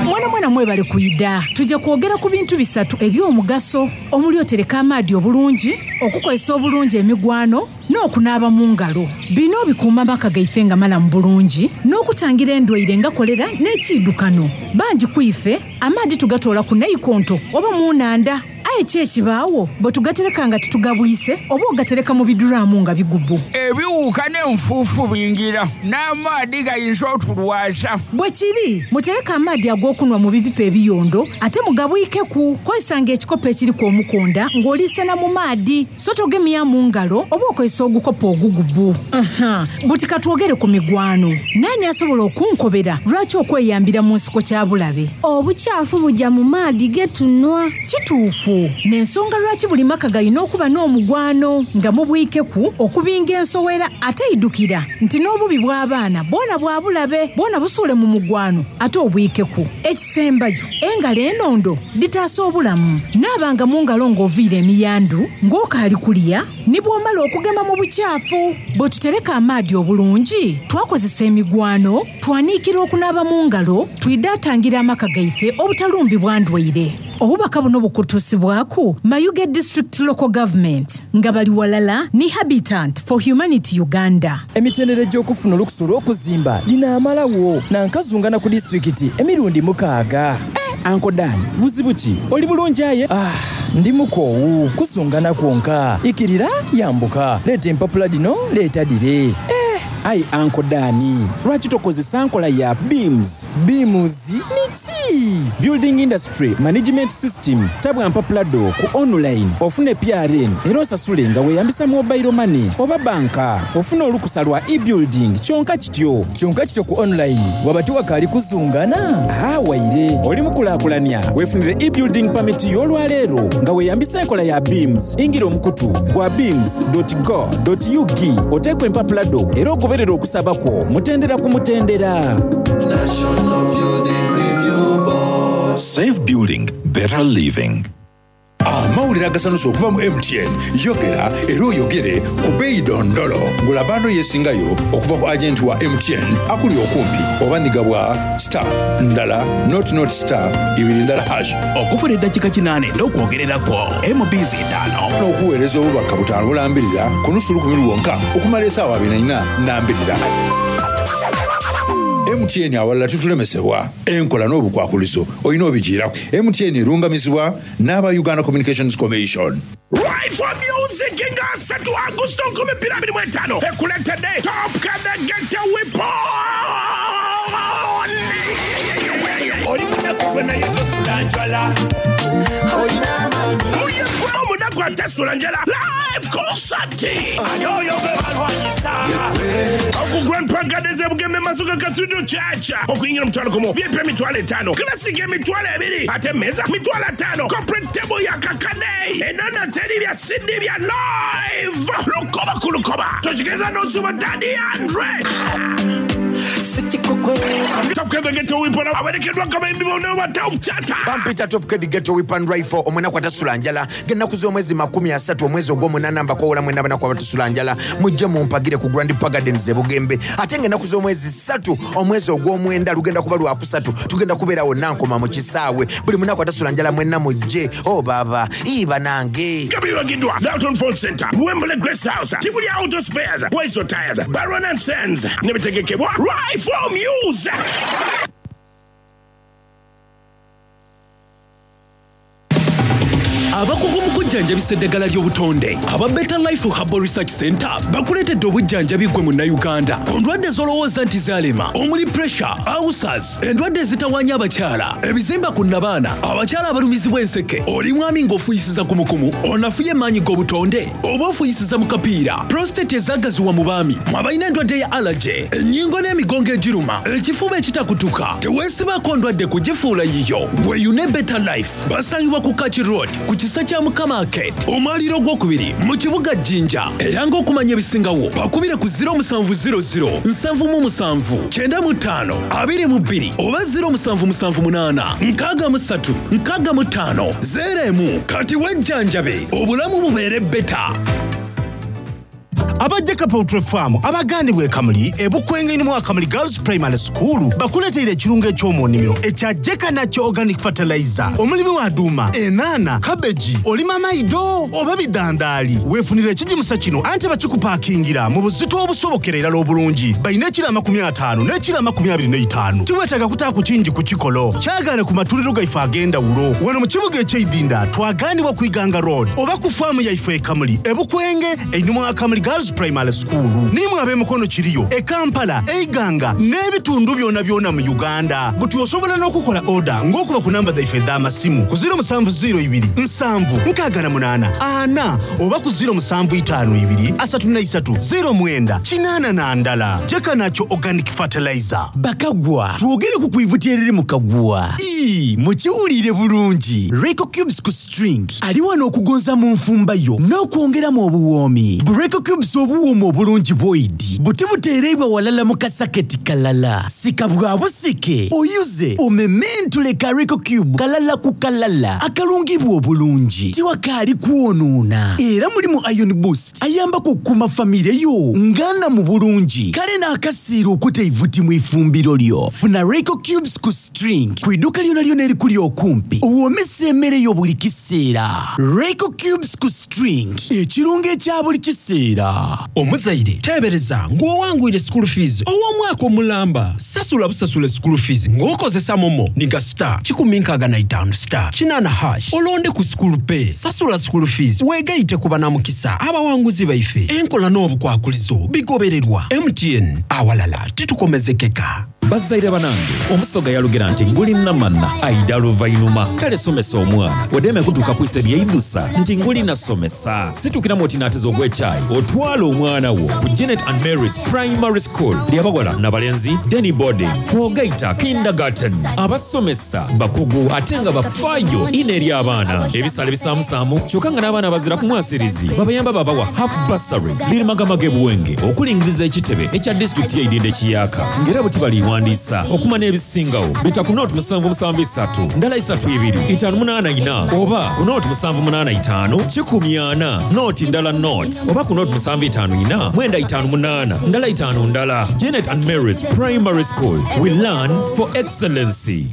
[SPEAKER 17] Mwenamwena mwebale kwidha. Tuja kwogera ku bintu bisatu eby'omugaso omuli otereka amaadhi obulungi, okukozesa obulungi emigwano n'okunaaba mu ngalo. Bino bikuuma amaka gaife nga malamu bulungi n'okutangira endwaire nga kolera n'ekiidukano. Bangi ku ife amaadhi tugatoola ku naikonto oba mu nhandha. Aye ki ekibaagho bwe tugatereka nga titugabwise oba ogatereka mu biduraamu nga bigubu?
[SPEAKER 18] Ebiwuuka n'enfuufu bingira, n'amaadhi gayinza otulwaza.
[SPEAKER 17] Bwe kiri, mutereke amaadhi ag'okunhwa mu bipipa ebiyondo ate mugabwikeku. Kozesanga ekikopo ekiriku omukonda ng'oliisena mu maadhi, so togemya mu ngalo oba okozesa ogukopo ogugubu. Aha, buti ka twogere ku migwano. Naani asobola okunkobera lwaki okweyambira mu nsiko kya bulabe?
[SPEAKER 19] Obukyafu buja mu maadhi ge tunhwa.
[SPEAKER 17] Kituufu. N'ensonga lwaki buli maka galina okuba n'omugwano nga mubwikeku okubinga ensowera ate idhukira nti n'obubi bw'abaana bwona bwa bulabe bwona busuule mu mugwano ate obwikeku. Ekisembayo, engalo enondo dhitaasa obulamu. Naabanga mu ngalo ng'oviire emiyandu, ng'okaali kulya ni bw'omala okugema mu bukyafu. Bwe tutereka amaadhi obulungi, twakozesa emigwano, twaniikira okunaaba mu ngalo, twidha tangira amaka gaife obutalumbibwa ndwaire. Obubaka buno bukutuusibwaku Mayuge District Local Government nga bali walala ni Habitant for Humanity Uganda.
[SPEAKER 20] Emitendera egy'okufuna olukusa olw'okuzimba dhinaamalagho na nkazungana ku disitulikiti emirundi mukaaga. Uncle Dan, buzibu ki? Oli bulungi aye? Ah, ndi mukoowu. Kuzungana kwonka. Ikirira, yambuka. Leeta empapula dhino, leeta dhire. Eh!
[SPEAKER 6] Aye Uncle Dan, lwaki tokozesa nkola ya BIMS?
[SPEAKER 20] BIMS niki?
[SPEAKER 6] Building Industry Management System. Tabwa mpapula dho ku online ofune PRN era osasule nga weeyambisa mobile money oba banka. Ofune olukusa lwa e-building kyonka kityo.
[SPEAKER 20] Kyonka kityo ku online waba tiwakaali kuzungana?
[SPEAKER 6] Haa waire. Oli mukulaakulania weefunire e-building permit yo olwaleero nga weeyambisa enkola ya BIMS. Ingira omukutu gwa bims.go.ug oteeku empapula dho era ogoberere okusaba kwo mutendera ku mutendera.
[SPEAKER 21] National Building Review Board.
[SPEAKER 22] Safe building, better living.
[SPEAKER 3] Amawulire agasanusa okuva mu MTN yogera era oyogere ku beeyi dondolo. Gula bando yesingayo okuva ku agenti wa MTN akuli okumpi oba nhiga bwa star ndala not not star ibiri ndala hash.
[SPEAKER 23] Okufuna eddakiika kinaana edh'okwogerera kwo MBs itaano.
[SPEAKER 3] N'okuweereza obubaka butaano bulambirira ku nusu lukumi lwonka okumala esaawa abiri na ina nambirira. MTN awalala titulemesebwa. Enkola n'obukwakulizo olina obijiiraku. MTN erungamizibwa n'aba Uganda Communications Commission.
[SPEAKER 18] Right for Music nga asatu Agusto 2025 ekuleetedde Top Kadagete Weapon.
[SPEAKER 24] Oli munaku gwe naye tosula njala.
[SPEAKER 18] Muyekwe omunaku atasula njala live concert.
[SPEAKER 24] Ani oyo gwe balwanyisa?
[SPEAKER 18] Oku Grand Park Gardens e Bugembe Masuka Cathedral Church. Okuyingira omutwalo gumu, VIP emitwalo etaano, Classic emitwalo ebiri, ate emmeeza mitwalo ataano, corporate table ya kakade. Enono teri bya CD bya live. Lukoba ku lukoba. Tokigeza n'osuba Daddy Andre. Top Kid Ghetto Weapon awerekeddwa abayimbi bonna ba Top Chata.
[SPEAKER 25] Bampita Top Kid Ghetto Weapon Rifle omunaku atasula njala ng'ennaku z'omwezi 30 omwezi ogw'omunaana mbakoowola mwenna abanaku abatasula njala mujje mumpagire ku Grand Park Gardens e Bugembe ate ng'ennaku z'omwezi ssatu omwezi ogw'omwenda lugenda kuba lwakusatu tugenda kubeera wonna nkoma mu kisaawe buli munaku atasula njala mwenna mujje o baaba ii banange.
[SPEAKER 18] Gabiwagiddwa Dalton Phone Center, Wembley Grace House, Kibuli Auto Spares, Waiso Tires, Baron and Sons ne bitegekebwa Rifle Music.
[SPEAKER 5] Abakugu mu kujjanjabisa eddagala ly'obutonde aba Better Life Herbal Research Center bakuleetedde obujjanjabi ggwe Munnayuganda ku ndwadde z'olowooza nti zaalema omuli pressure, ulcers, endwadde ezitawaanya abakyala, ebizimba ku nnabaana, abakyala abalumizibwa enseke, oli mwami ng'ofuuyisiza kumukumu, onafuye emaanyi g'obutonde oba ofuuyisiza mu kapiira, prostate ezaagaziwa mu baami, mwe abalina endwadde ya allergy, ennyingo n'emigongo egiruma, ekifuba ekitakutuka, teweesibaako ndwadde kugifuula yiyo. Weeyune Better Life. Basangibwa ku Kaki Road ku kisa kya Mukama.
[SPEAKER 1] Arcade, omwaliiro ogwokubiri mu kibuga Jinja. Era ng'okumanya ebisingawo bakubire ku 0700 77 95 22 oba 0778 63 65 01. Kati wejjanjabe obulamu bubeere beta.
[SPEAKER 23] Aba Jeka Poultry Farm abagandibwa e Kamuli e Bukwenge mu Akamuli Girls Primary School bakuleteire ekirungo eky'omu nnimiro ekya Jeka Nakyo Organic Fertilizer. Omulimi wa duuma, enaana, kabeji, olima maido oba bidandaali, weefunire ekigimusa kino anti bakikupakingira mu buzito obusobokera irala obulungi. Balina ekiro 50 n'ekiro 25. Tiweetaaga kutaaku kingi ku kikolo. Kyagaane ku matundiro gaife ag'endawulo wano mu kibuga eky'Eidinda twagaanibwa ku Iganga Road oba ku faamu yaife e Kamuli e Bukwenge einhuma wa Kamuli Girls Primary School. Nimwe ab'emikono kiriyo e Kampala, e Iganga n'ebitundu byonabyona mu Uganda. Buti osobola n'okukola oda ng'okuba ku namba dhaife edh'amasimu ku 0702 768 4 oba ku 0752 33 09 81. Jeka Nakyo Organic Fertilizer.
[SPEAKER 2] Bakagwa, twogere ku kwivuti eriri mu kaguwa. Ii, mukiwuliire bulungi. Reiko Cubes ku string ali wano okugonza mu nfumba yo n'okwongeramu obuwoomi. Bu Reiko Cubes obuwooma obulungi bwoidi buti buteereibwa walala mu kasaketi kalala. Sika bwa busike, oyuze, omementule ka Reiko Cube kalala ku kalala akalungibwa obulungi. Tiwakaali kwonoona era mulimu Iron Boost ayambaku okukuuma famire yo nga nnamu bulungi. Kale n'akasiira okuta eivuti mu ifumbiro lyo. Funa Reiko Cubes ku string ku iduuka lyonalyona erikuli okumpi owoomese emmere yo buli kiseera. Reiko Cubes ku string, ekirungo ekya buli kiseera.
[SPEAKER 15] Omuzaire teebereza ng'owangwire school fees ow'omwaka omulamba. Sasula busasule school fees ng'okozesa momo ni ga star 165 star 8 hash olonde ku school pay. Sasula school fees weegaite ku banamukisa abawanguzi baife. Enkola n'obukwakulizo bigobererwa. MTN, awalala titukomezekeka.
[SPEAKER 16] Bazaire banange, omusoga yalugera nti nguli namanha aidha luvainuma. Kale somesa omwana odeme kutuuka kwisa ebyeidhusa nti nguli nasomesa. Situkiramu oti naateza ogw'ekyayi otwale omwana wo ku Janet and Mary's Primary School ly'abawala n'abalenzi Denny Boarding kwogaita Kindergarten. Abasomesa bakugu ate nga bafaayo inho eri abaana. Ebisale bisaamusaamu kyoka nga n'abaana abazira ku mwasirizi babayamba babawa half bursary. Liri Magamaga e Buwenge okulingiriza ekitebe ekya disitulikiti y'e Idinda ekiyaaka nga era buti baliwandiisa okumanya ebisingawo bita ku nooti 773 ndala 32 584 oba ku nooti 785 14 nooti ndala nooti oba ku nooti 754 958 ndala 5 ndala. Janet and Mary's Primary School, we learn for excellency.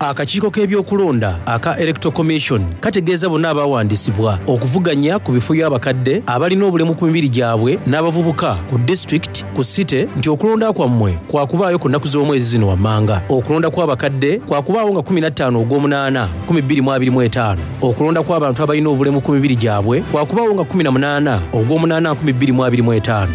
[SPEAKER 7] Akakiiko k'ebyokulonda aka Electoral Commission kategeeza bonna abawandiisibwa okuvuganya ku bifo by'abakadde, abalina obulemu ku mibiri gyabwe n'abavubuka ku disitulikiti, ku site nti okulonda kwammwe kwakubaayo ku nnaku z'omwezi zino wammanga. Okulonda kw'abakadde kwakubaawo nga 15 Ogwomunaana 2025. Okulonda kw'abantu abalina obulemu ku mibiri gyabwe kwakubaawo nga 18 Ogwomunaana 2025.